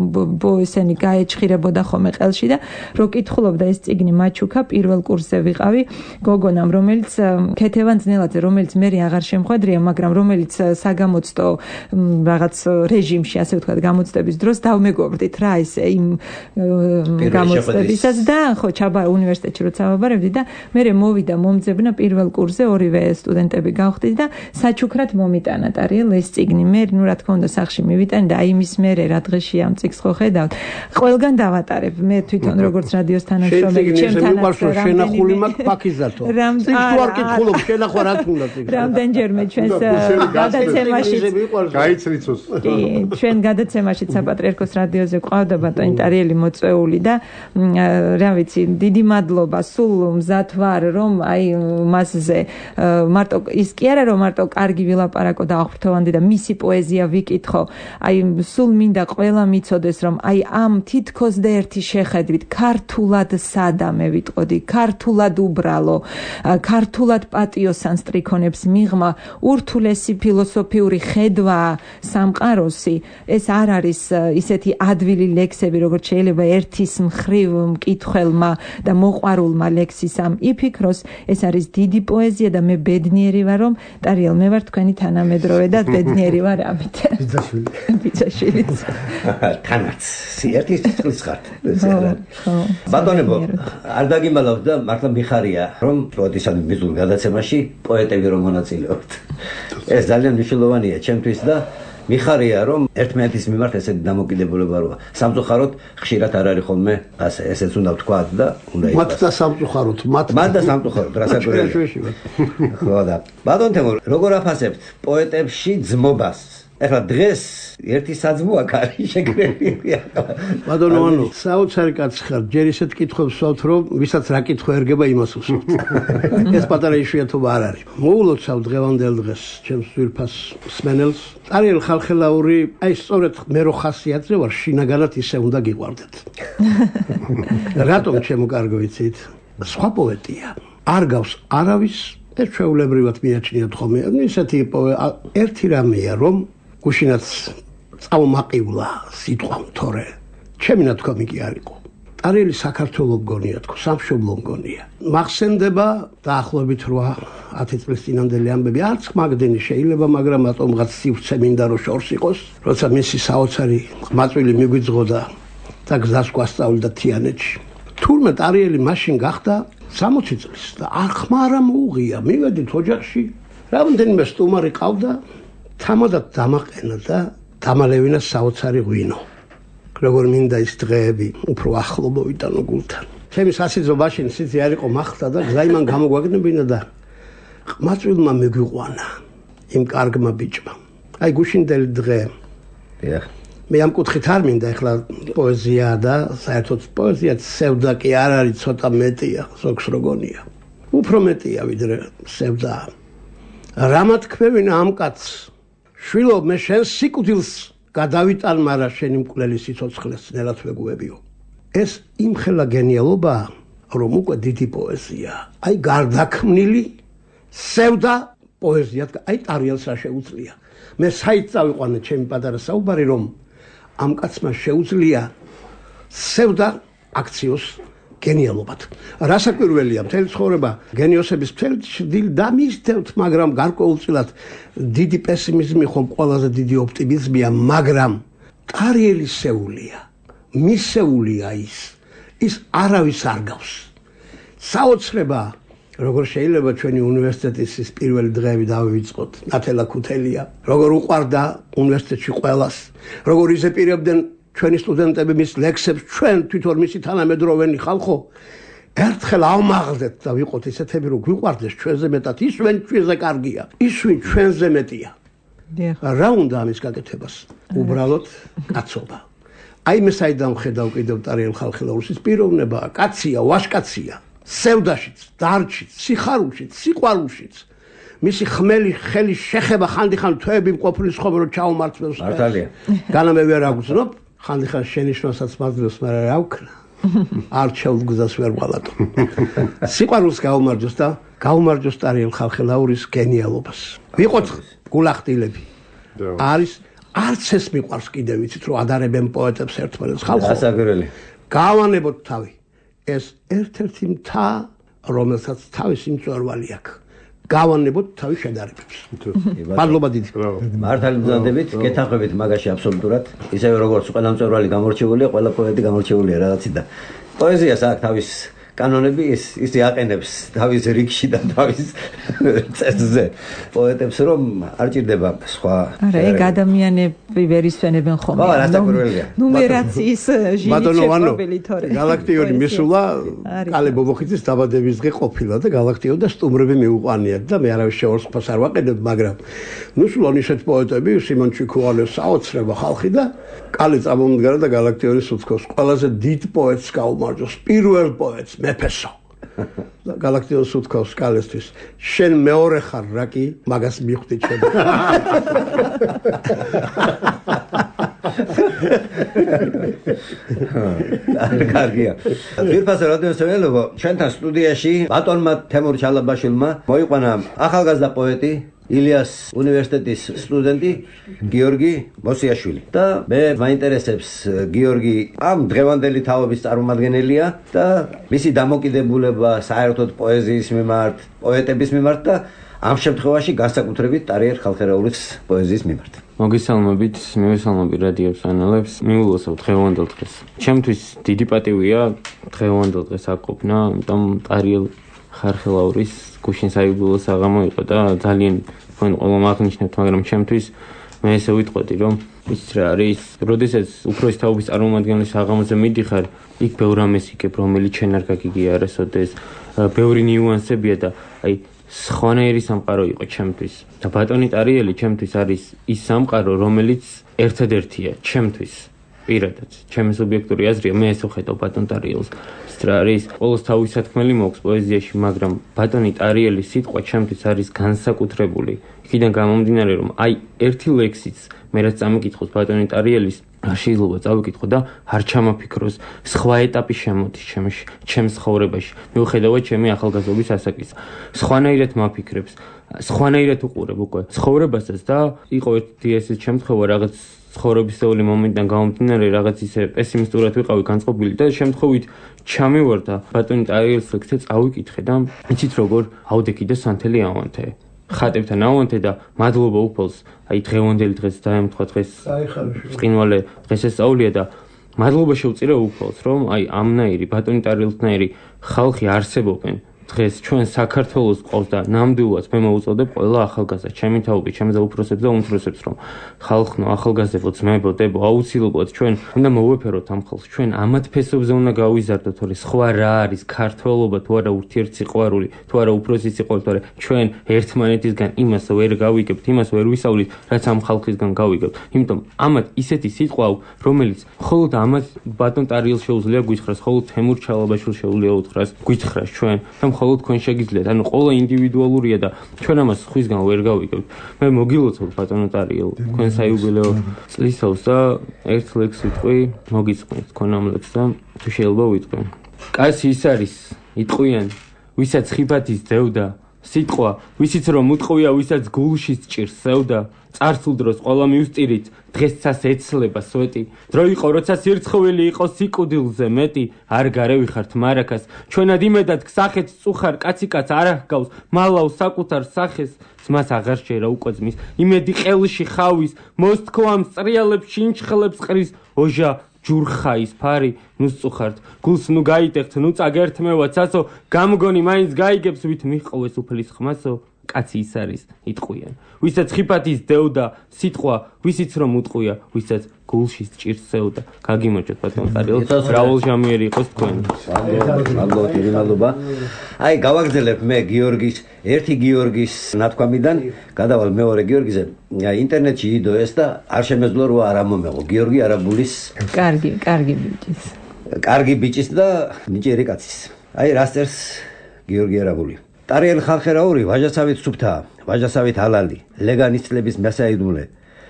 ესენი გაეჭხირებოდა ხოლმე ყელში და რო კითხულობდა ეს წიგნი მაჩუკა პირველ კურსზე ვიყავი გოგონამ, რომელიც ქეთევან ძნელაძე, რომელიც მე აღარ შემხვედრია, მაგრამ რომელიც საგამოცდო რაღაც რეჟიმში, ასე ვთქვათ, გამოცდების დროს დავმეგობრდით რა ესე იმ გამოცდებისას და ხო ჩაბა უნივერსიტეტში როცა ვაბარებდი და მე მოვიდა მომძებნა პირველ კურსზე, ორივე სტუდენტები გავხდით და საჩუქრად მომიტანა ტარიელ ეს წიგნი. მე ნუ რა თქმა უნდა სახში მივიტანე და აი იმის მერე რა დღეშია ამ წიგნს ხო ხედავთ. ყველგან დავატარებ. მე თვითონ როგორც რადიოს თანამშრომელი ჩემთან შენახული მაქვს ფაქიზათო. წიგნს არ კითხულობ, შენახვა რა თქმა უნდა. რამდენჯერმე ჩვენს გადაცემაში გაიცრიცოს. კი, ჩვენ გადაცემაში საპატრიარქოს რადიოზე ყავდა ბატონი ტარიელი მოწვეული და რა ვიცი, დიდი მადლობა, სულ მზად ვარ, რომ აი მასზე მარტო ის კი არა რომ მარტო კარგი ვილაპარაკო და აღფრთოვანდი და მისი პოეზია ვიკითხო, აი სულ მინდა ყველა მიცოდეს, რომ აი ამ თითქოს და ერთი შეხედვით ქართულად სადამე ვიტყოდი, ქართულად უბრალო, ქართულად პატიოსან სტრიქონებს მიღმა ურთულესი ფილოსოფიური ხედვა სამყაროსი, ეს არ არის ისეთი ადვილი ლექსები, როგორც შეიძლება ერთის მხრივ მკითხველმა და მოყვარულმა ლექსისამ იფიქროს, ეს არის დიდი პოეზია და მე ბედნიერი ვარ, რომ ტარიელ მე ვარ თქვენი თანამედროვე და ბედნიერი ვარ ამით. ბიძაშვილი. თანაც ერთის წლის ხართ. ბატონებო, არ დაგიმალავთ და მართლა მიხარია, რომ პოეტისადმი მიზულ გადაცემაში პოეტები რომ მონაწილეობთ. ეს ძალიან მნიშვნელოვანია ჩემთვის და მიხარია, რომ ერთმანეთის მიმართ ესეთი დამოკიდებულება როა. სამწუხაროდ ხშირად არ არის ხოლმე ასე, ესეც უნდა ვთქვათ და უნდა იყოს. მათ და სამწუხაროდ, მათ და სამწუხაროდ, რასაც ხო და ბატონ თემურ, როგორ აფასებთ პოეტებში ძმობას? ეხლა დღეს ერთი საძმო აქ არის შეგრებილია. ბატონო, ანუ საოცარი კაცი ხარ, ჯერ ისეთ კითხვებს ვსვავთ, რომ ვისაც რა კითხვა ერგება იმას უსვამთ. ეს პატარა იშვიათობა არ არის. მოულოცავ დღევანდელ დღეს ჩემს ძვირფას მსმენელს. ტარიელ ხალხელაური, აი სწორედ მე რო ხასიათზე ვარ, შინაგანად ისე უნდა გიყვარდეთ. რატომ ჩემო კარგო იცით? სხვა პოეტია. არ გავს არავის ეს ჩვეულებრივად მიაჩნიათ ხოლმე. ისეთი ერთი რამეა, რომ გუშინაც წავმაყივლა სიტყვამ თორე ჩემი ნათქვამი კი არ იყო. ტარიელი საქართველოს მგონია თქო, სამშობლო მგონია. მახსენდება დაახლოებით 8-10 წლის წინანდელი ამბები, არც მაგდენი შეიძლება, მაგრამ ატომღაც სივრცე მინდა რომ შორს იყოს, როცა მისი საოცარი ყმაწვილი მიგვიძღოდა და გზას გვასწავლდა თიანეთში. თურმე ტარიელი მაშინ გახდა 60 წლის და არ ხმარა მოუღია, მივედით ოჯახში, რამდენიმე სტუმარი ყავდა, თამადად დამაყენა და დამალევინა საოცარი ღვინო. როგორ მინდა ის დღეები უფრო ახლო მოვიტანო გულთან. ჩემი სასიძო მაშინ სიცი არ იყო მახსდა და გზა იმან გამოგვაგნებინა და ყმაწვილმა მიგვიყვანა იმ კარგმა ბიჭმა. აი გუშინდელი დღე. მე ამ კუთხით არ მინდა ეხლა პოეზია და საერთოდ პოეზია სევდა კი არ არის ცოტა მეტია, ზოგს როგონია. უფრო მეტია ვიდრე სევდა. რამა თქვევინა ამ კაცს? შვილო, მე შენ სიკვდილს გადავიტან, მარა შენი მკვლელი სიცოცხლეს ნელად ვეგუებიო. ეს იმხელა გენიალობაა, რომ უკვე დიდი პოეზია. აი გარდაქმნილი სევდა პოეზიად, აი ტარიელს რა შეუძლია. მე საით წავიყვანე ჩემი პატარა საუბარი, რომ ამ კაცმა შეუძლია სევდა აქციოს გენიალობად. რასაკვირველია, მთელი ცხოვრება გენიოსების მთელი დილ დამისდევთ, მაგრამ გარკვეულწილად დიდი პესიმიზმი ხომ ყველაზე დიდი ოპტიმიზმია, მაგრამ ტარიელი სეულია, მისეულია ის არავის არ გავს. საოცრება, როგორ შეიძლება ჩვენი უნივერსიტეტის ის პირველი დღეები დავივიწყოთ, ნათელა ქუთელია, როგორ უყვარდა უნივერსიტეტში ყველას, როგორ იზეპირებდნენ ჩვენი სტუდენტები მის ლექსებს, ჩვენ თვითონ მისი თანამედროვენი ხალხო, ერთხელ ავმაღლდეთ და ვიყოთ ისეთები, რომ გვიყვარდეს ჩვენზე მეტად, ის ვინ ჩვენზე კარგია, ის ვინ ჩვენზე მეტია. რა უნდა ამის გაკეთებას? უბრალოდ კაცობა. აი მე საიდან ვხედავ კიდევ ტარიელ ხალხელაურს, პიროვნებაა, კაცია, ვაჟკაცია, სევდაშიც, დარჩიც, სიხარულშიც, სიყვარულშიც. მისი ხმელი ხელი შეხება ხანდახან თვეები მყოფლის ხომ რომ ჩაუმართლოს. მართალია. განამე ვერ აგზნობ, ხანდახან შენიშვნასაც მაძლევს, მაგრამ რა ვქნა? არჩეულ გზას ვერ ვალატო. სიყვარულს გაუმარჯოს და გაუმარჯოს ტარიელ ხალხელაურის გენიალობას. ვიყოთ გულახდილები. არის არც ეს მიყვარს კიდევ ვიცით რომ ადარებენ პოეტებს ერთმანეთს ხალხო. გასაგრელი. გავანებოთ თავი. ეს ერთ-ერთი მთა, რომელსაც თავისი მწვერვალი აქვს. გავანებოთ თავის შედარებებს. მადლობა დიდი. მართალი ბრძანდებით, გეთანხმებით მაგაში აბსოლუტურად. ისევე როგორც ყველა მწვერვალი გამორჩეულია, ყველა პოეტი გამორჩეულია რაღაცით და პოეზიას აქვს თავის კანონები, ის იაყენებს თავის რიგში და თავის წესზე. პოეტებს რომ არ ჭირდება სხვა. არა, ეგ ადამიანები ვერ ისვენებენ ხოლმე. ხო, რასაკვირველია. ნუმერაციის ჟირი თორე. გალაქტიონი მისულა, კალე ბობოხიძის დაბადების დღე ყოფილა და გალაქტიო და სტუმრები მიუყვანიათ და მე არავის შეორსყოფას არ ვაყენებ, მაგრამ ნუსულან ისეთ პოეტები, სიმონ ჩიქუალე, საოცრება ხალხი და კალე წამომდგარა და გალაქტიონის უცხოს ყველაზე დიდ პოეტს გაუმარჯოს, პირველ პოეტს მეფესო. გალაქტიოს უთქავს კალესთვის, შენ მეორე ხარ რა კი, მაგას მიხვდი ჩვენ. კარგია. ძირფასო რადიოსმენელო, ჩვენთან სტუდიაში ბატონმა თემურ ჩალაბაშვილმა მოიყვანა ახალგაზრდა პოეტი ილიას უნივერსიტეტის სტუდენტი გიორგი მოსიაშვილი. და მე მაინტერესებს გიორგი ამ დღევანდელი თაობის წარმომადგენელია და მისი დამოკიდებულება საერთოდ პოეზიის მიმართ, პოეტების მიმართ და ამ შემთხვევაში განსაკუთრებით ტარიელ ხალხელაურის პოეზიის მიმართ. მოგესალმებით, მივესალმები რადიოს ანალებს, მიულოცავ დღევანდელ დღეს. ჩემთვის დიდი პატივია დღევანდელ დღეს აქ ყოფნა, ამიტომ ტარიელ ხალხელაურის გუშინ საიუბილეო საღამო იყო და ძალიან თქვენ ყველამ აღნიშნეთ, მაგრამ ჩემთვის მე ესე ვიტყოდი, რომ ის რა არის, როდესაც უფროსი თაობის წარმომადგენლის საღამოზე მიდიხარ, იქ ბევრ რამეს იგებ, რომელიც შენ არ გაგიგია არასოდეს, ბევრი ნიუანსებია და აი სხვანაირი სამყარო იყო ჩემთვის. და ბატონი ტარიელი ჩემთვის არის ის სამყარო, რომელიც ერთადერთია ჩემთვის. პირადად, ჩემი სუბიექტური აზრია, მე ესე ვხედავ ბატონ ტარიელს. რა არის, ყოველს თავის სათქმელი მაქვს პოეზიაში, მაგრამ ბატონი ტარიელის სიტყვა ჩემთვის არის განსაკუთრებული. იქიდან გამომდინარე, რომ აი ერთი ლექსიც მე რაც წამიკითხოს ბატონი ტარიელის, არ შეიძლება წავიკითხო და არ ჩამაფიქროს სხვა ეტაპი შემოდის ჩემს ცხოვრებაში. მიუხედავად ჩემი ახალგაზრდობის ასაკისა. სხვანაირად მაფიქრებს, სხვანაირად უყურებ უკვე ცხოვრებასაც და იყო ერთი ესეც შემთხვევა რაღაც ცხოვრებისეული მომენტიდან გამომდინარე რაღაც ისე პესიმისტურად ვიყავი განწყობილი და შემთხვევით ჩამივარდა ბატონი ტარიელის ლექსზე წავიკითხე და იცით როგორ ავდექი და სანთელი ავანთე. ხატებთან ავანთე და მადლობა უფალს, აი დღევანდელი დღეს დაემთხვა დღეს წინვალე დღესასწაულია და მადლობა შევწირე უფალს, რომ აი ამნაირი ბატონი ტარიელთნაირი ხალხი არსებობენ. დღეს ჩვენ საქართველოს ყავს და ნამდვილად მე მოუწოდებ ყველა ახალგაზრდა, ჩემი თაობით, ჩემზე უფროსებს და უმცროსებს, რომ ხალხნო, ახალგაზრდებო, ძმებო, დებო, აუცილებლად ჩვენ უნდა მოვეფეროთ ამ ხალხს. ჩვენ ამათ ფესობზე უნდა გავიზარდოთ, თორე სხვა რა არის ქართველობა, თუ არა ურთიერთსიყვარული, თუ არა უფროსი სიყვარული, თორე ჩვენ ერთმანეთისგან იმას ვერ გავიგებთ, იმას ვერ ვისავლით, რაც ამ ხალხისგან გავიგებთ. იმიტომ ამათ ისეთი სიტყვა აქვს, რომელიც მხოლოდ ამათ ბატონ ტარიელს შეუძლია გვითხრას, მხოლოდ თემურ ჩალაბაშვილს შეუძლია უთხრას, გვითხრას ჩვენ და მხოლოდ თქვენ შეგიძლიათ, ანუ ყველა ინდივიდუალურია და ჩვენ ამას სხვისგან ვერ გავიგებთ. მე მოგილოცავთ ბატონო ტარიელ, თქვენ საიუბილეო წლისავს და ერთ ლექს ვიტყვი, მოგიწყვნით თქვენ ამ ლექს და თუ შეიძლება ვიტყვი. კაცი ის არის, იტყვიან, ვისაც ხიფათის ძევდა, სიტყვა, ვისიც რომ უტყვია, ვისაც გულში სჭირს სევდა, წარსულ დროს ყველა მივსტირით, დღესაც ეცლება სვეტი. დრო იყო, როცა სირცხვილი იყო სიკვდილზე მეტი, არ გარევიხართ მარაკას. ჩვენად იმედად გსახეთ წუხარ კაციკაც არ აღგავს, მალავს საკუთარ სახეს, ძმას აღარ შეერა უკვე ძმის, იმედი ყელში ხავის, მოსთქვამ წრიალებს შინჩხლებს ყრის, ოჟა ჯურხაის ფარი, ნუ სწუხართ, გულს ნუ გაიტეხთ, ნუ წაგერთმევა ცაცო, გამგონი მაინც გაიგებს, ვით მიჰყოვეს უფლის ხმასო. კაცი ის არის, იტყვიან. ვისაც ხიფათის დევდა, სიტყვა, ვისიც რომ უტყვია, ვისაც გულში სჭირს სევდა. გაგიმოჩოთ ბატონ ტარიელ, რაულ ჟამიერი იყოს თქვენ. მადლობა. აი, გავაგრძელებ მე ერთი გიორგის ნათქვამიდან, გადავალ მეორე გიორგიზე. ინტერნეტში იდო ეს და არ შემეძლო რომ არ ამომეღო. გიორგი არაბულის კარგი ბიჭის. კარგი ბიჭის და ნიჭიერი კაცის. აი, რასწერს გიორგი არაბული. ტარიელ ხალხერაური ვაჟასავით სუფთა, ვაჟასავით ალალი, ლეგანის წლების მასაიდმულე.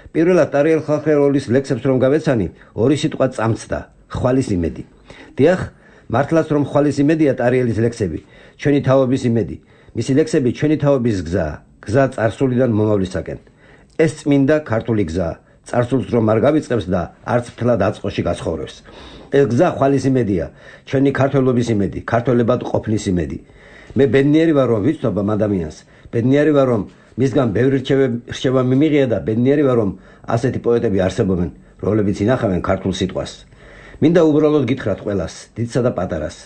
პირველად ტარიელ ხალხერაულის ლექსებს რომ გავეცანი, ორი სიტყვა წამწდა, ხვალის იმედი. დიახ, მართლაც რომ ხვალის იმედია ტარიელის ლექსები, ჩვენი თაობის იმედი. მისი ლექსები ჩვენი თაობის გზა წარსულიდან მომავლისაკენ. ეს წმინდა ქართული გზაა, წარსულს რომ არ გავიწყებს და არც მთლად აწყოში გაცხოვრებს. ეს გზა ხვალის იმედია, ჩვენი ქართველობის იმედი, ქართველებად ყოფნის იმედი. მე ბედნიერი ვარ რომ ვიცნობ ამ ადამიანს, ბედნიერი ვარ რომ მისგან ბევრი რჩევა მიმიღია და ბედნიერი ვარ რომ ასეთი პოეტები არსებობენ, რომლებიც ინახავენ ქართულ სიტყვას. მინდა უბრალოდ გითხრათ ყველას, დიდსა და პატარას,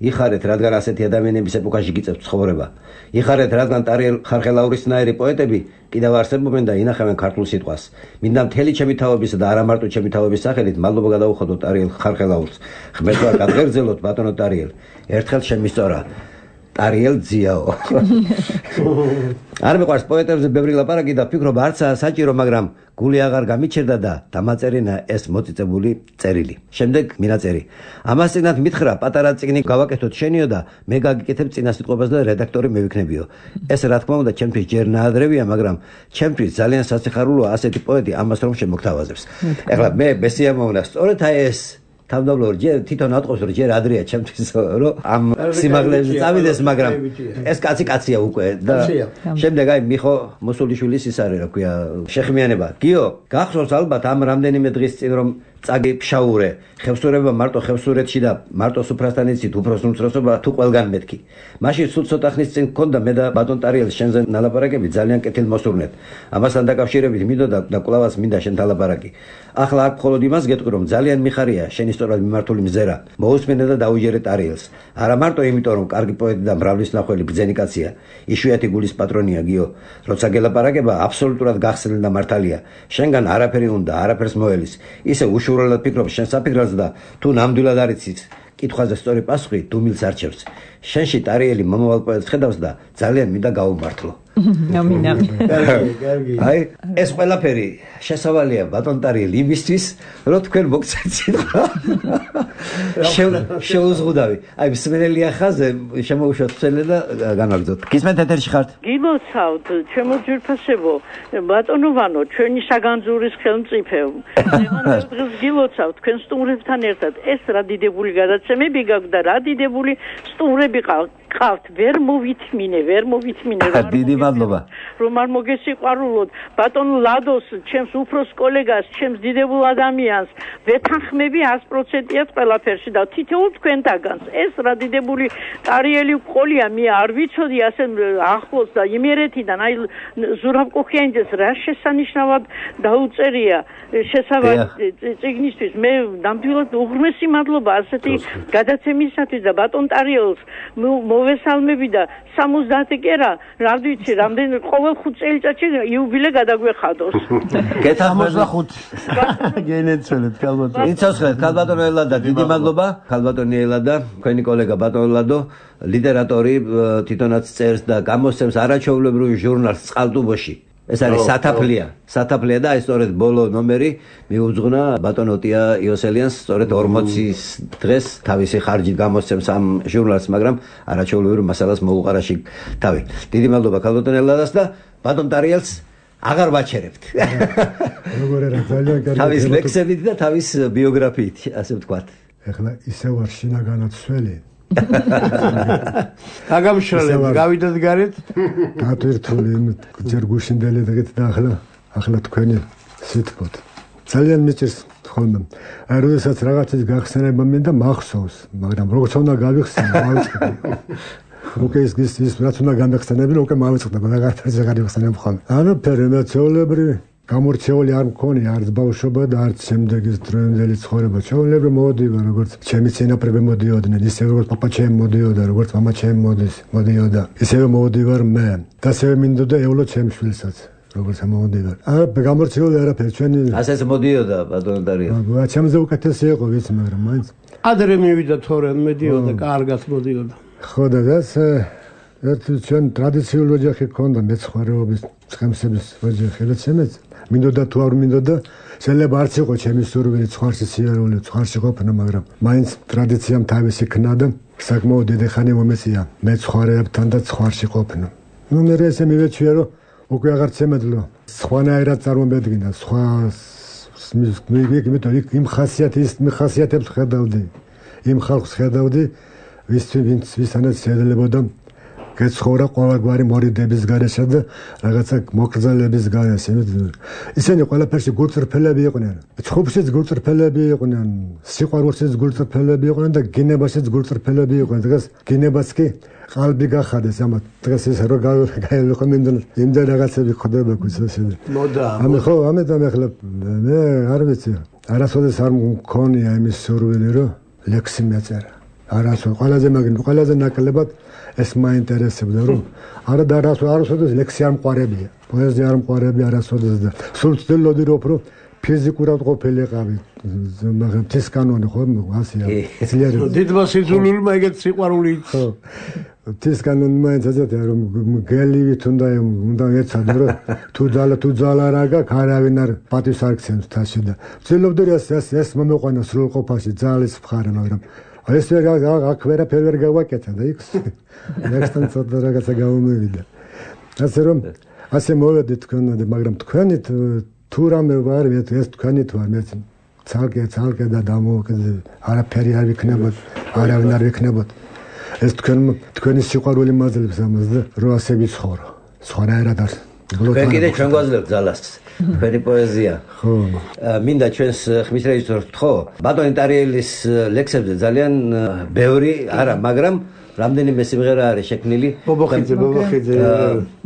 იხარეთ, რადგან ასეთი ადამიანების ეპოქაში გიწევთ ცხოვრება. იხარეთ, რადგან ტარიელ ხალხელაურისნაირი პოეტები კიდევ არსებობენ და ინახავენ ქართულ სიტყვას. მინდა მთელი ჩემი თაობისა და არა მარტო ჩემი თაობის სახელით მადლობა გადავუხადოთ ტარიელ ხალხელაურს. ღმერთმა გადღერძელოთ ბატონო ტარიელ. ერთხელ შემისწორა ტარიელ ძიაო. არ მეყვარს პოეტებზე ბევრი ლაპარაკი და ფიქრობ არცაა საჭირო, მაგრამ გული აღარ გამიჩერდა და დამაწერინა ეს მოწიწებული წერილი. შემდეგ მინაწერი. ამას წინათ მითხრა, პატარა წიგნი გავაკეთოთ შენიო და მე გაგიკეთებ წინასიტყვებას და რედაქტორი მევიქნებიო. ეს რა თქმა უნდა ჩემთვის ჯერ ნაადრევია, მაგრამ ჩემთვის ძალიან სასიხარულოა ასეთი პოეტი ამას რომ შემოგთავაზებს. ეხლა მე ბესიამოვნა, სწორედ აი ეს თავდაბლორი ჯერ თვითონ ატყობს რომ ჯერ ადრეა ჩემთვის რომ ამ სიმაღლეზე წავიდეს, მაგრამ ეს კაცია უკვე და შემდეგ აი მიხო მოსულიშვილის ის არის რა ქვია შეხმიანება. გიო, გახსოვს ალბათ ამ რამდენიმე დღის წინ რომ წაგი ფშაურე, ხევსურება მარტო ხევსურეთში და მარტო სუფრასთან იცით უფროს უმცროსობა თუ ყველგან მეთქი. მაშინ სულ ცოტა ხნის წინ მქონდა მე და ბატონ ტარიელს შენზე ნალაპარაკები ძალიან კეთილმოსურნეთ. ამასთან დაკავშირებით მინდოდა და კვლავაც მინდა შენთან ლაპარაკი. ახლა აქ მხოლოდ იმას გეტყვი რომ ძალიან მიხარია შენი სწორად მიმართული მზერა. მოусმენე და დაუჯერე ტარიელს. არა მარტო იმიტომ რომ კარგი პოეტი და მრავლის ნახველი ბრძენი კაცია, იშვიათი გულის პატრონია გიო. როცა გელაპარაკება აბსოლუტურად გახსნილ და მართალია. შენგან არაფერი უნდა, არაფერს მოელის. ისე უშუალოდ ფიქრობ შენ საფიქრած და თუ ნამდვილად არ იცით კითხვაზე სწორი პასუხი დუმილს არჩევს. შენში ტარიელი მომავალ პოეტს ხედავს და ძალიან მინდა გაუმართლო. ამინა. კარგი. აი, ეს ყველაფერი შესავალია ბატონ ტარიელი იმისთვის, რომ თქვენ მოგცეთ სიტყვა. შეუზღუდავი. აი, მსმენელია ხაზე, შემოუშვათ წელე და განაგრძოთ. გისმენთ ეთერში ხართ? გილოცავთ, ჩემო ძვირფასებო, ბატონო ვანო, ჩვენი საგანძურის ხელმწიფე. დღეს გილოცავთ თქვენ სტუმრებთან ერთად. ეს რა დიდებული გადაცემები გაქვთ და რა დიდებული სტუმრები ყავთ. ვერ მოვითმინე. დიდი მადლობა. რომ არ მოგესიყვარულოთ ბატონ ლადოს, ჩემს უფროს კოლეგას, ჩემს დიდებულ ადამიანს, ვეთანხმები 100%-ად ყველაფერში და თითოეულ თქვენთაგანს. ეს რა დიდებული ტარიელი ყოლია, მე არ ვიცოდი ასე ახლოს და იმერეთიდან, აი ზურაბ კოქიანიძეს რა შესანიშნავად დაუწერია შესავალ წიგნისთვის. მე ნამდვილად უღრმესი მადლობა ასეთი გადაცემისათვის და ბატონ ტარიელს მოვესალმები და 70 კერა, რა ვიცი, რამდენი ყოველ 5 წელიწადში იუბილე გადაგვეხადოს. გეთახმებით 65. გენეცელეთ ქალბატონო. იცოცხლეთ, ქალბატონო ელადა, დიდი მადლობა. ქალბატონი ელადა, თქვენი კოლეგა ბატონ ლადო, ლიტერატორი, თვითონაც წერს და გამოსცემს არაჩვეულებრივ ჟურნალს წყალტუბოში. ეს არის სათაფლია და აი სწორედ ბოლო ნომერი მიუძღვნა ბატონ ოტია იოსელიანს, სწორედ 40-ის დღეს თავისი ხარჯით გამოსცემს ამ ჟურნალს, მაგრამ არაჩვეულებრივ მასალას მოუყარაში თავი. დიდი მადლობა ქალბატონ ელადას და ბატონ ტარიელს აღარ ვაჩერებთ. როგორ არა, ძალიან კარგი. თავის ლექსებით და თავის ბიოგრაფიით, ასე ვთქვათ. ეხლა ისე ვარ შინაგანად სველი. აგამშრალებ, გავიდეთ გარეთ. დატვირთული ჯერ გუშინდელი დღით და ახლა თქვენი სიტყვით. ძალიან მიჭირს ხოლმე. აი როდესაც რაღაცის გახსენება მინდა მახსოვს, მაგრამ როგორც უნდა გავიხსენო, მოვიწყდი. უკვე ის რაც უნდა გამეხსენებინა, უკვე მოვიწყდა, რაღაცა გავიხსენებ ხოლმე. არაფერი მეცოლებრივი გამორჩეული არ მქონია, არც ბავშვობა და არც შემდეგის დროინდელი ცხოვრება. ჩვეულებრივ მოვდივარ, როგორც ჩემი წინაპრები მოდიოდნენ, ისევე როგორც პაპა ჩემი მოდიოდა, როგორც მამა ჩემი მოდიოდა. ისევე მოვდივარ მე. და ასევე მინდოდა ევლო ჩემ შვილსაც, როგორც მოვდივარ. გამორჩეული არაფერი, ჩვენი ასეც მოდიოდა ბატონ ტარიელი. ჩემზე უკეთესი იყო, ვიცი, მაგრამ მაინც ადრე მივიდა თორემ მედიოდა, კარგად მოდიოდა. ხო და ეს ერთ ჩვენ ტრადიციული ოჯახი ქონდა, მეცხვარეობის, ცხენების ოჯახი, რაც შემეც მინდოდა თუ არ მინდოდა, შეიძლება არც იყო ჩემი სურვილი ცხვარში სიარული, ცხვარში ყოფნა, მაგრამ მაინც ტრადიციამ თავისი ქნა და საკმაოდ დიდი ხანი მომეწია მეცხვარეებთან და ცხვარში ყოფნა. ნუ მე ესე მივეჩვია, რომ უკვე აღარ შემეძლო სხვანაირად წარმომედგინა, სხვა იმ ხასიათებს ხედავდი, იმ ხალხს ხედავდი, ვისთანაც შეეძლებოდა გეცხოვრა ყოველგვარი მორიდების გარეშე და რაღაცა მოკრძალების გარეშე. ისინი ყველაფერში გულწრფელები იყვნენ. ცხუბშიც გულწრფელები იყვნენ, სიყვარულშიც გულწრფელები იყვნენ და გინებაშიც გულწრფელები იყვნენ. დღეს გინებას კი ყალბი გახადეს, ამათ დღეს ეს რო გაელოხო იმდენ რაღაცები ხდება ქუჩაში. მოდა. ამიტომ ახლა მე არ ვიცი. არასოდეს არ მქონია იმის სურვილი, რომ ლექსი მეწერა. ყველაზე ნაკლებად ეს მაინტერესებდა, რომ არა და არასოდეს ლექსი არ მყარებია, პოეზია არ მყარებია არასოდეს და სულ ვცდილობდი რომ ფიზიკურად ყოფილიყავი, მაგრამ ეს კანონი ხო ასია. დიდმა სიძულვილმა ეგეთ სიყვარული ხო. ეს კანონი მაინც ასეთია, რომ გელივით უნდა ეცადე, რომ თუ ძალა რა გაქვს, არავინ არ პატივს არ გცემს თაში და ვცდილობდი ეს მომეყვანა სრულყოფაში ძალის მხარე, მაგრამ ეს აქ ვერაფერი ვერ გავაკეთა და იქ ლექსთან ცოტა რაღაცა გამომივიდა. ასე რომ ასე მოვედი თქვენამდე, მაგრამ თქვენი თუ რამე ვარ, ეს თქვენით ვარ, მე ცალკე და დამოუკიდე არაფერი არ ვიქნებოდ, არავინ არ ვიქნებოდ. ეს თქვენი სიყვარული მაძლევს ამას და რო ასე ვიცხოვრო. სხვანაირად არ. თქვენ კიდე ჩვენ გვაძლევთ ძალას. თქვენი პოეზია. ხო. მინდა ჩვენს ხმის რეჟისორს ვთხოვ, ბატონი ტარიელის ლექსებზე ძალიან ბევრი არა, მაგრამ რამდენიმე სიმღერა არის შექმნილი.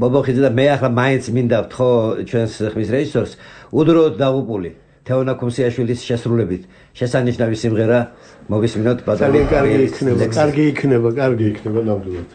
ბობოხიძე და მე ახლა მაინც მინდა ვთხოვ ჩვენს ხმის რეჟისორს უდროოდ დაღუპული თეონა ქუმსიაშვილის შესრულებით შესანიშნავი სიმღერა მოვისმინოთ ბატონი ტარიელის. კარგი იქნება ნამდვილად.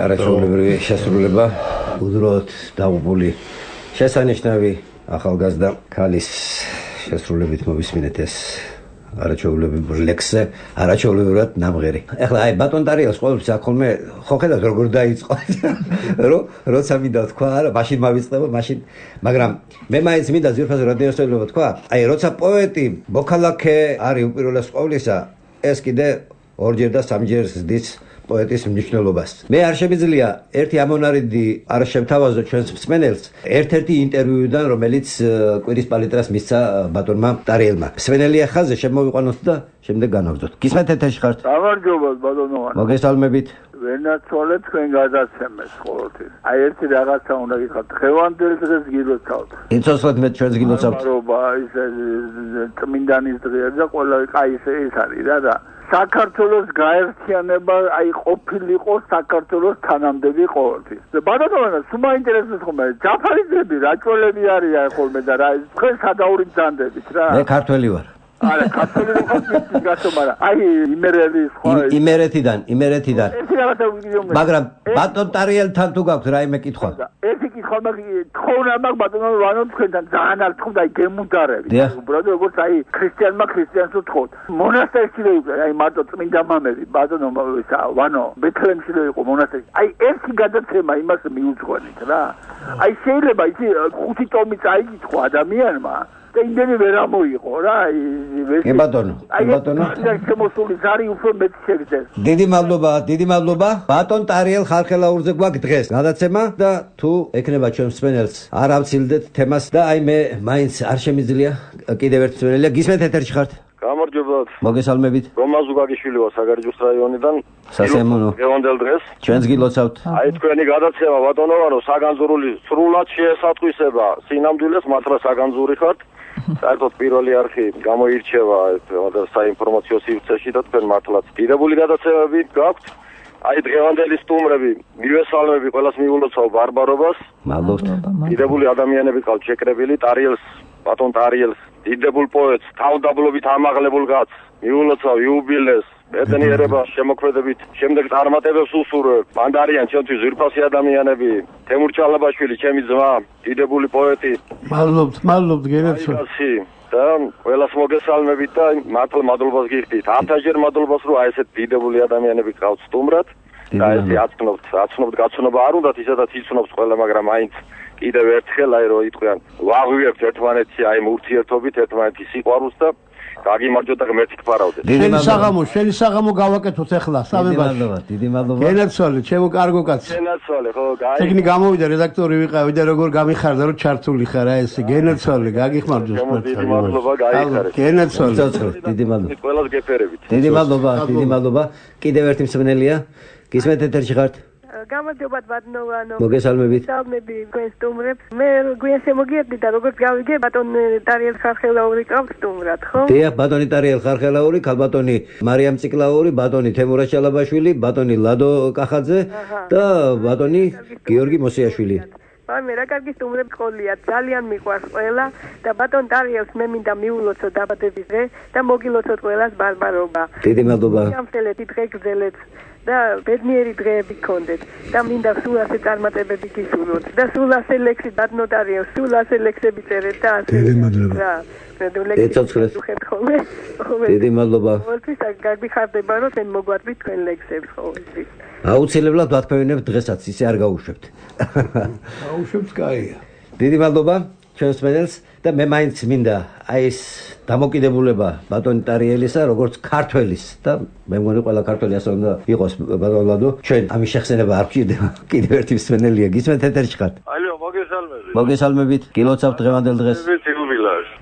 არაჩვეულებრივი შესრულება უდროთ დაღუპული შესანიშნავი ახალგაზრდა ქალის შესრულებით მოვისმინეთ ეს არაჩვეულებრივ ლექსზე არაჩვეულებრივად ნამღერი. ეხლა აი ბატონ ტარიელს ყოველთვის აქოლმე ხო ხედავთ როგორ დაიწყო როცა მინდა თქვა არა მაშინ მავიწყდება მაშინ მაგრამ მე მაინც მინდა ზირფაზე რადიოსტელობა თქვა აი როცა პოეტი მოქალაქე არის უპირველეს ყოვლისა ეს კიდე ორჯერ და სამჯერ ზდის პოეტის მნიშვნელობას. მე არ შემიძლია ერთი ამონარიდი არ შევთავაზო ჩვენს მსმენელს ერთ-ერთი ინტერვიუდან, რომელიც კვირის პალიტრას მისცა ბატონმა ტარიელმა. მსმენელია ხაზზე შემოვიყვანოთ და შემდეგ განაგზოთ. გისმენთ ეთერში ხართ? გამარჯობა ბატონოვანი. მოგესალმებით. ვენაცვალეთ თქვენ გადაცემეს ყოველთვის. აი ერთი რაღაცა უნდა გითხრათ. დღევანდელ დღეს გილოცავთ. იცოცხლეთ მე ჩვენს გილოცავთ. მადლობა ის წმინდანის დღეა და ყველა აი ეს არის რა. საქართველოს გაერთიანება აი ყოფილიყო საქართველოს თანამდები ყოველთვის. ბატონო, სულ მაინტერესებს ხოლმე ჯაფარიძეები, რაჭველები არიან ხოლმე და რა თქვენ სადაური ბრძანდებით რა. მე ქართველი ვარ. არა, ქართველი ვარ გასო, მაგრამ აი იმერელი სხვა იმერეთიდან. ერთი რაღაცა ვიგიო. მაგრამ ბატონ ტარიელთან თუ გაქვთ რაიმე კითხვა? ერთი კითხვა მაქვს, თხოვნა მაქვს ბატონო ვანო თქვენთან ძალიან არ თქონდა აი გემუდარები. უბრალოდ როგორც აი ქრისტიანმა ქრისტიანს უთხოვთ. მონასტერში იყო აი მარტო წმინდა მამები ბატონო ვანო ბეთლემში იყო მონასტერი. აი ერთი გადაცემა იმას მიუძღვენით რა. აი შეიძლება ისი 5 ტომი წაიგითხო ადამიანმა და იმდენი ვერ ამოიღო რა კი ბატონო შემოსული ზარი უფრო მეტი შეგდეს. დიდი მადლობა ბატონ ტარიელ ხალხელაურზე გვაქვს დღეს გადაცემა და თუ ეკნება ჩვენ მსმენელს არ ავცილდეთ თემას და აი მე მაინც არ შემიძლია კიდევ ერთ მსმენელია გისმენთ ეთერში ხართ? გამარჯობა. მოგესალმებით. რომა ზუგაგიშვილი ვარ საგარეჯოს რაიონიდან. სასიამოვნო. დღევანდელ დღეს ჩვენს გილოცავთ. აი თქვენი გადაცემა ბატონოვანო საგანძურული სრულად შეესატყვისება სინამდვილეს მართლა საგანძური ხართ. საერთოდ პირველი არხი გამოირჩევა საინფორმაციო სივრცეში და თქვენ მართლაც დიდებული გადაცემები გაქვთ. აი დღევანდელი სტუმრები მივესალმები ყველას მიულოცავ ბარბარობას. მადლობთ. დიდებული ადამიანები ყავთ შეკრებილი ტარიელს ბატონ ტარიელს დიდებულ პოეტს თავდაბლობით ამაღლებულ კაცს მიულოცავ იუბილეს ბედნიერება შემოქმედებით შემდეგ წარმატებებს უსურვებ. მანდ არიან ჩვენთვის ზირფასი ადამიანები თემურ ჩალაბაშვილი ჩემი ძმა დიდებული პოეტი. მადლობთ გერაცო. და ყველას მოგესალმებით და მართლა მადლობას გიხდით. ათასჯერ მადლობას რომ აი ესეთ დიდებული ადამიანები ყავთ სტუმრად. და ესე აცნობთ გაცნობა არ უნდათ ისედაც იცნობს ყველა მაგრამ აინც კიდევ ერთხელ აი რომ იტყვიან ვაღვიებთ ერთმანეთს აი ურთიერთობით ერთმანეთის სიყვარულს და გაგიმარჯვოთ და ღმერთი გფარავდეთ. შენი საღამო გავაკეთოთ ახლა სამებაში. დიდი მადლობა. გენაცვალე, ჩემო კარგო კაცო. გენაცვალე, ხო, გაი. ეგნი გამოვიდა რედაქტორი ვიყავი და როგორ გამიხარდა რომ ჩართული ხარ აი ესე გენაცვალე, გაგიხმარჯოს. დიდი მადლობა, გაიხარეთ. გენაცვალე. დიდი მადლობა. ყველას გეფერებით. დიდი მადლობა. კიდევ ერთი მსმენელია. გისმენთ ეთერში ხართ? გამარჯობათ ბატონო. მოგესალმებით. სალმები თქვენ სტუმრებს. მე გვიან შემოგიერთდი და როგორც გავიგე ბატონ ტარიელ ხარხელაური ყავს სტუმრად, ხო? დიახ, ბატონი ტარიელ ხარხელაური, ქალბატონი მარიამ ციკლაური, ბატონი თემურა ჩალაბაშვილი, ბატონი ლადო კახაძე და ბატონი გიორგი მოსიაშვილი. მე რა კარგი სტუმრები ყოლია, ძალიან მიყვარს ყველა და ბატონ ტარიელს მე მინდა მიულოცო დაბადების დღე და მოგილოცოთ ყველას ბარბარობა. დიდი მადლობა. გამწელეთი დღე გრძელეთ. და ბედნიერი დღეები გქონდეთ და მინდა სულ ასე წარმატებები გისურვოთ და სულ ასე ლექსი ბატონოტარიო სულ ასე ლექსები წერეთ და ასე დიდი მადლობა დიდი მადლობა ყოველთვის გაგიხარდება რომ მე მოგვარდით თქვენ ლექსებს ყოველთვის აუცილებლად ვათქვევინებთ დღესაც ისე არ გაუშვებთ გაუშვებთ კაია დიდი მადლობა ჩვენს მენელს და მე მაინც მინდა აი ეს დამოკიდებულება ბატონი ტარიელისა როგორც ქართველის და მე მგონი ყველა ქართველი ასე უნდა იყოს ბატონლადო ჩვენ ამის შეხსენება არ გვჭირდება კიდევ ერთი მსმენელია გისმენთ ეთერში ხართ ალო მოგესალმებით გილოცავთ დღევანდელ დღეს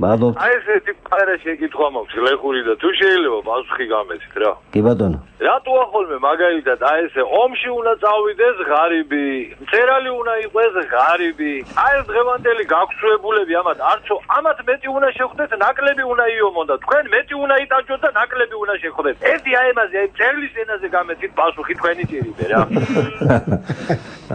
მადლობთ აი ესეთი პარა შეკითხვა მაქვს ლეხური და თუ შეიძლება პასუხი გამეცით რა კი ბატონო რატო ახოლმე მაგალითად აი ესე ომში უნდა წავიდეს ღარიბი მწერალი უნდა იყოს ღარიბი აი ეს დღევანდელი გაქვსუებულები ამათ მეტი უნდა შეხვდეთ ნაკლები უნდა იომონ და თქვენ მეტი უნდა იტაჯოთ და ნაკლები უნდა შეხვდეთ ერთი აი ამაზე აი წერლის ენაზე გამეცით პასუხი თქვენი ჭირიბე რა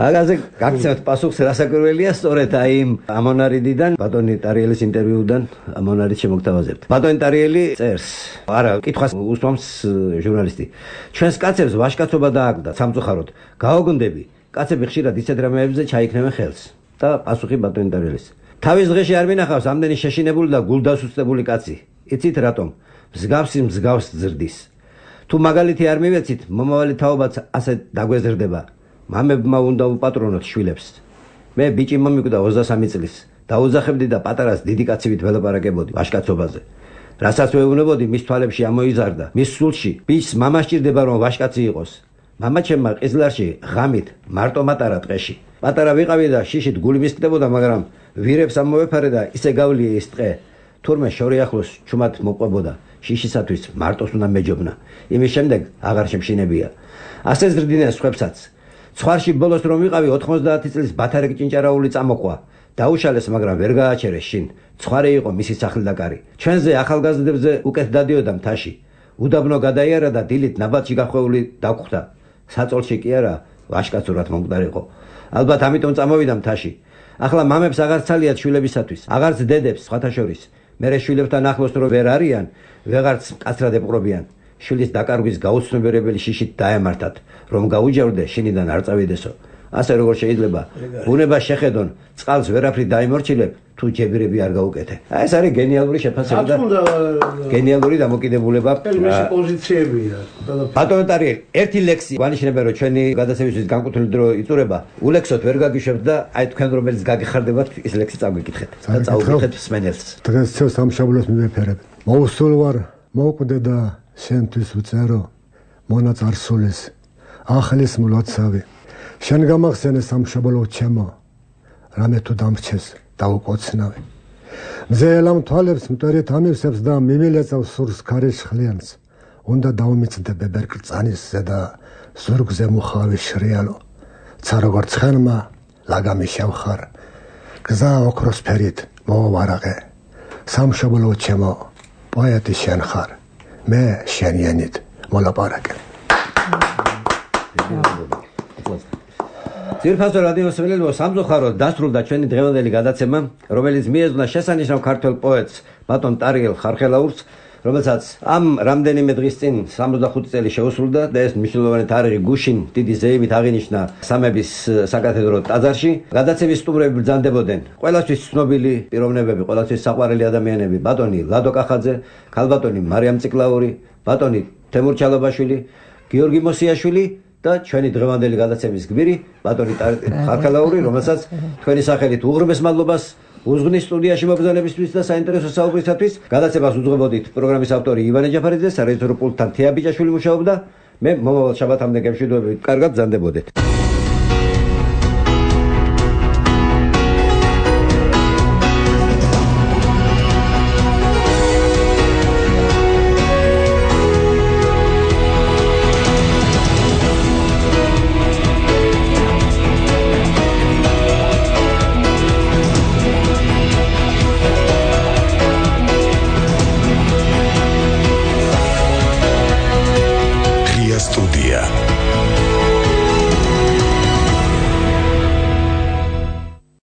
აგაზე გაგცემთ პასუხს რასაკვირველია სწორედ აი ამონარიდიდან ბატონი ტარიელის ინტერვიუდან ამონარიდს შემოგთავაზებთ ბატონი ტარიელი წერს არა კითხვას უსვამს ჟურნალისტი ჩვენს კაცებს ვაჟკაცობა დააგდათ სამწუხაროდ გაოგონდები კაცები ხშირად ისეთ რამეებზე ჩაიქნევენ ხელს და პასუხი ბატონი ტარიელის თავის დღეში არ მინახავს ამდენი შეშინებული და გულდასუსტებული კაცი იცით რატომ მსგავსი მსგავს ზრდის თუ მაგალითი არ მივეცით მომავალი თაობაც ასე დაგვეზრდება მამებმა უნდა უპატრონოთ შვილებს მე ბიჭი მომიკვდა 23 წლის დაუძახებდი და პატარას დიდი კაცივით ველაპარაკებოდი ვაჟკაცობაზე რასაც ვეუბნებოდი მის თვალებში ამოიზარდა მის სულში ბიჭს მამა სჭირდება რომ ვაჟკაცი იყოს მამა ჩემმა ყიზლარში ღამით მარტო მატარა ტყეში პატარა ვიყავი და შიშით გული მისკდებოდა მაგრამ ვირებს ამოვეფარე და ისე გავლიე ის ტყე თურმე შორი ახლოს ჩუმად მოყვებოდა შიშისათვის მარტოს უნდა მეჯობნა იმის შემდეგ აღარ შემშინებია ასე ზრდინეს სხვებსაც ცხვარში ბოლოს რომ ვიყავი 90 წლის ბათარეკ ჭინჭარაული წამოყვა დაუშალეს მაგრამ ვერ გააჩერეს შინ ცხვარი იყო მისი სახლი და კარი ჩვენზე ახალგაზრდებზე უკეთ დადიოდა მთაში უდაბნო გადაიარა და დილით ნაბატში გახვეული დაგხვდა საწოლში კი არა ვაჟკაცურად მომკვდარიყო ალბათ ამიტომ წამოვიდა მთაში ახლა მამებს აღარ ცალიათ შვილებისათვის აღარც დედებს სხვათა შორის მერე შვილებთან ახლოს რო ვერ არიან ვეღარც კაცრად ეპყრობიან შვილის დაკარგვის გაუცნობიერებელი შიშით დაემართათ რომ გაუჯერდე შინიდან არ წავიდესო ასე როგორ შეიძლება ბუნება შეხედონ წყალს ვერაფრით დაიმორჩილებ თუ ჯებირები არ გაუკეთე აი ეს არის გენიალური შეფასება და გენიალური დამოკიდებულება მისი პოზიციებია ბატონო ტარიელი ერთი ლექსი ვანიშნებენ რომ ჩვენი გადაცემისთვის განკუთვნილი დრო იწურება ულექსოთ ვერ გაგიშვებთ და აი თქვენ რომელიც გაგიხარდებათ ის ლექსი წაგვიკითხეთ და წაუკითხეთ მსმენელს დღეს ცევ სამშაბლოს მივეფერებ მოუსულ ვარ მოკვდე და შენთვის ვწერო მონაწარსულის ახლის მლოცავი შენ გამახსენე სამშაბლო ჩემო რამე თუ დამრჩეს დაუკოცნავი მზელამ თვალებს მტვერით ამივსებს და მიმილეწავს სურს ქარის ხლიანს უნდა დაუმიწდე ბებერკრწანის ზედა ზურგზე მუხავი შრიალო ცა როგორ ცხენმა ლაგამი შევხარ გზა ოქროსფერით მოვარაღე სამშაბლო ჩემო პოეტი შენ ხარ მე შენიანით მოლაპარაკე ძირფასო რადიო მსმენელებო სამწუხაროდ დასრულდა ჩვენი დღევანდელი გადაცემა რომელიც მიეძღვნა შესანიშნავ ქართველ პოეტს ბატონ ტარიელ ხარხელაურს რომელსაც ამ რამდენიმე დღის წინ 65 წელი შეუსრულდა და ეს მნიშვნელოვანი თარიღი გუშინ დიდი ზეიმით აღინიშნა სამების საკათედრო ტაძარში გადაცემის სტუმრები ბრძანდებოდნენ ყველასთვის ცნობილი პიროვნებები ყველასთვის საყვარელი ადამიანები ბატონი ლადო კახაძე ქალბატონი მარიამ ციკლაური ბატონი თემურ ჩალაბაშვილი გიორგი მოსიაშვილი და ჩვენი დღევანდელი გადაცემის გმირი ბატონი ხარხელაური რომელსაც თქვენი სახელით უღრმეს მადლობას უზღნის სტუდიაში მობრძანებისთვის და საინტერესო საუბრისათვის გადაცემას უძღვებოდით პროგრამის ავტორი ივანე ჯაფარიძე, სარეჟისორო პულტთან თეა ბიჭაშვილი მუშაობდა. მე მომავალ შაბათამდე გემშვიდობებით. კარგად ბრძანდებოდეთ.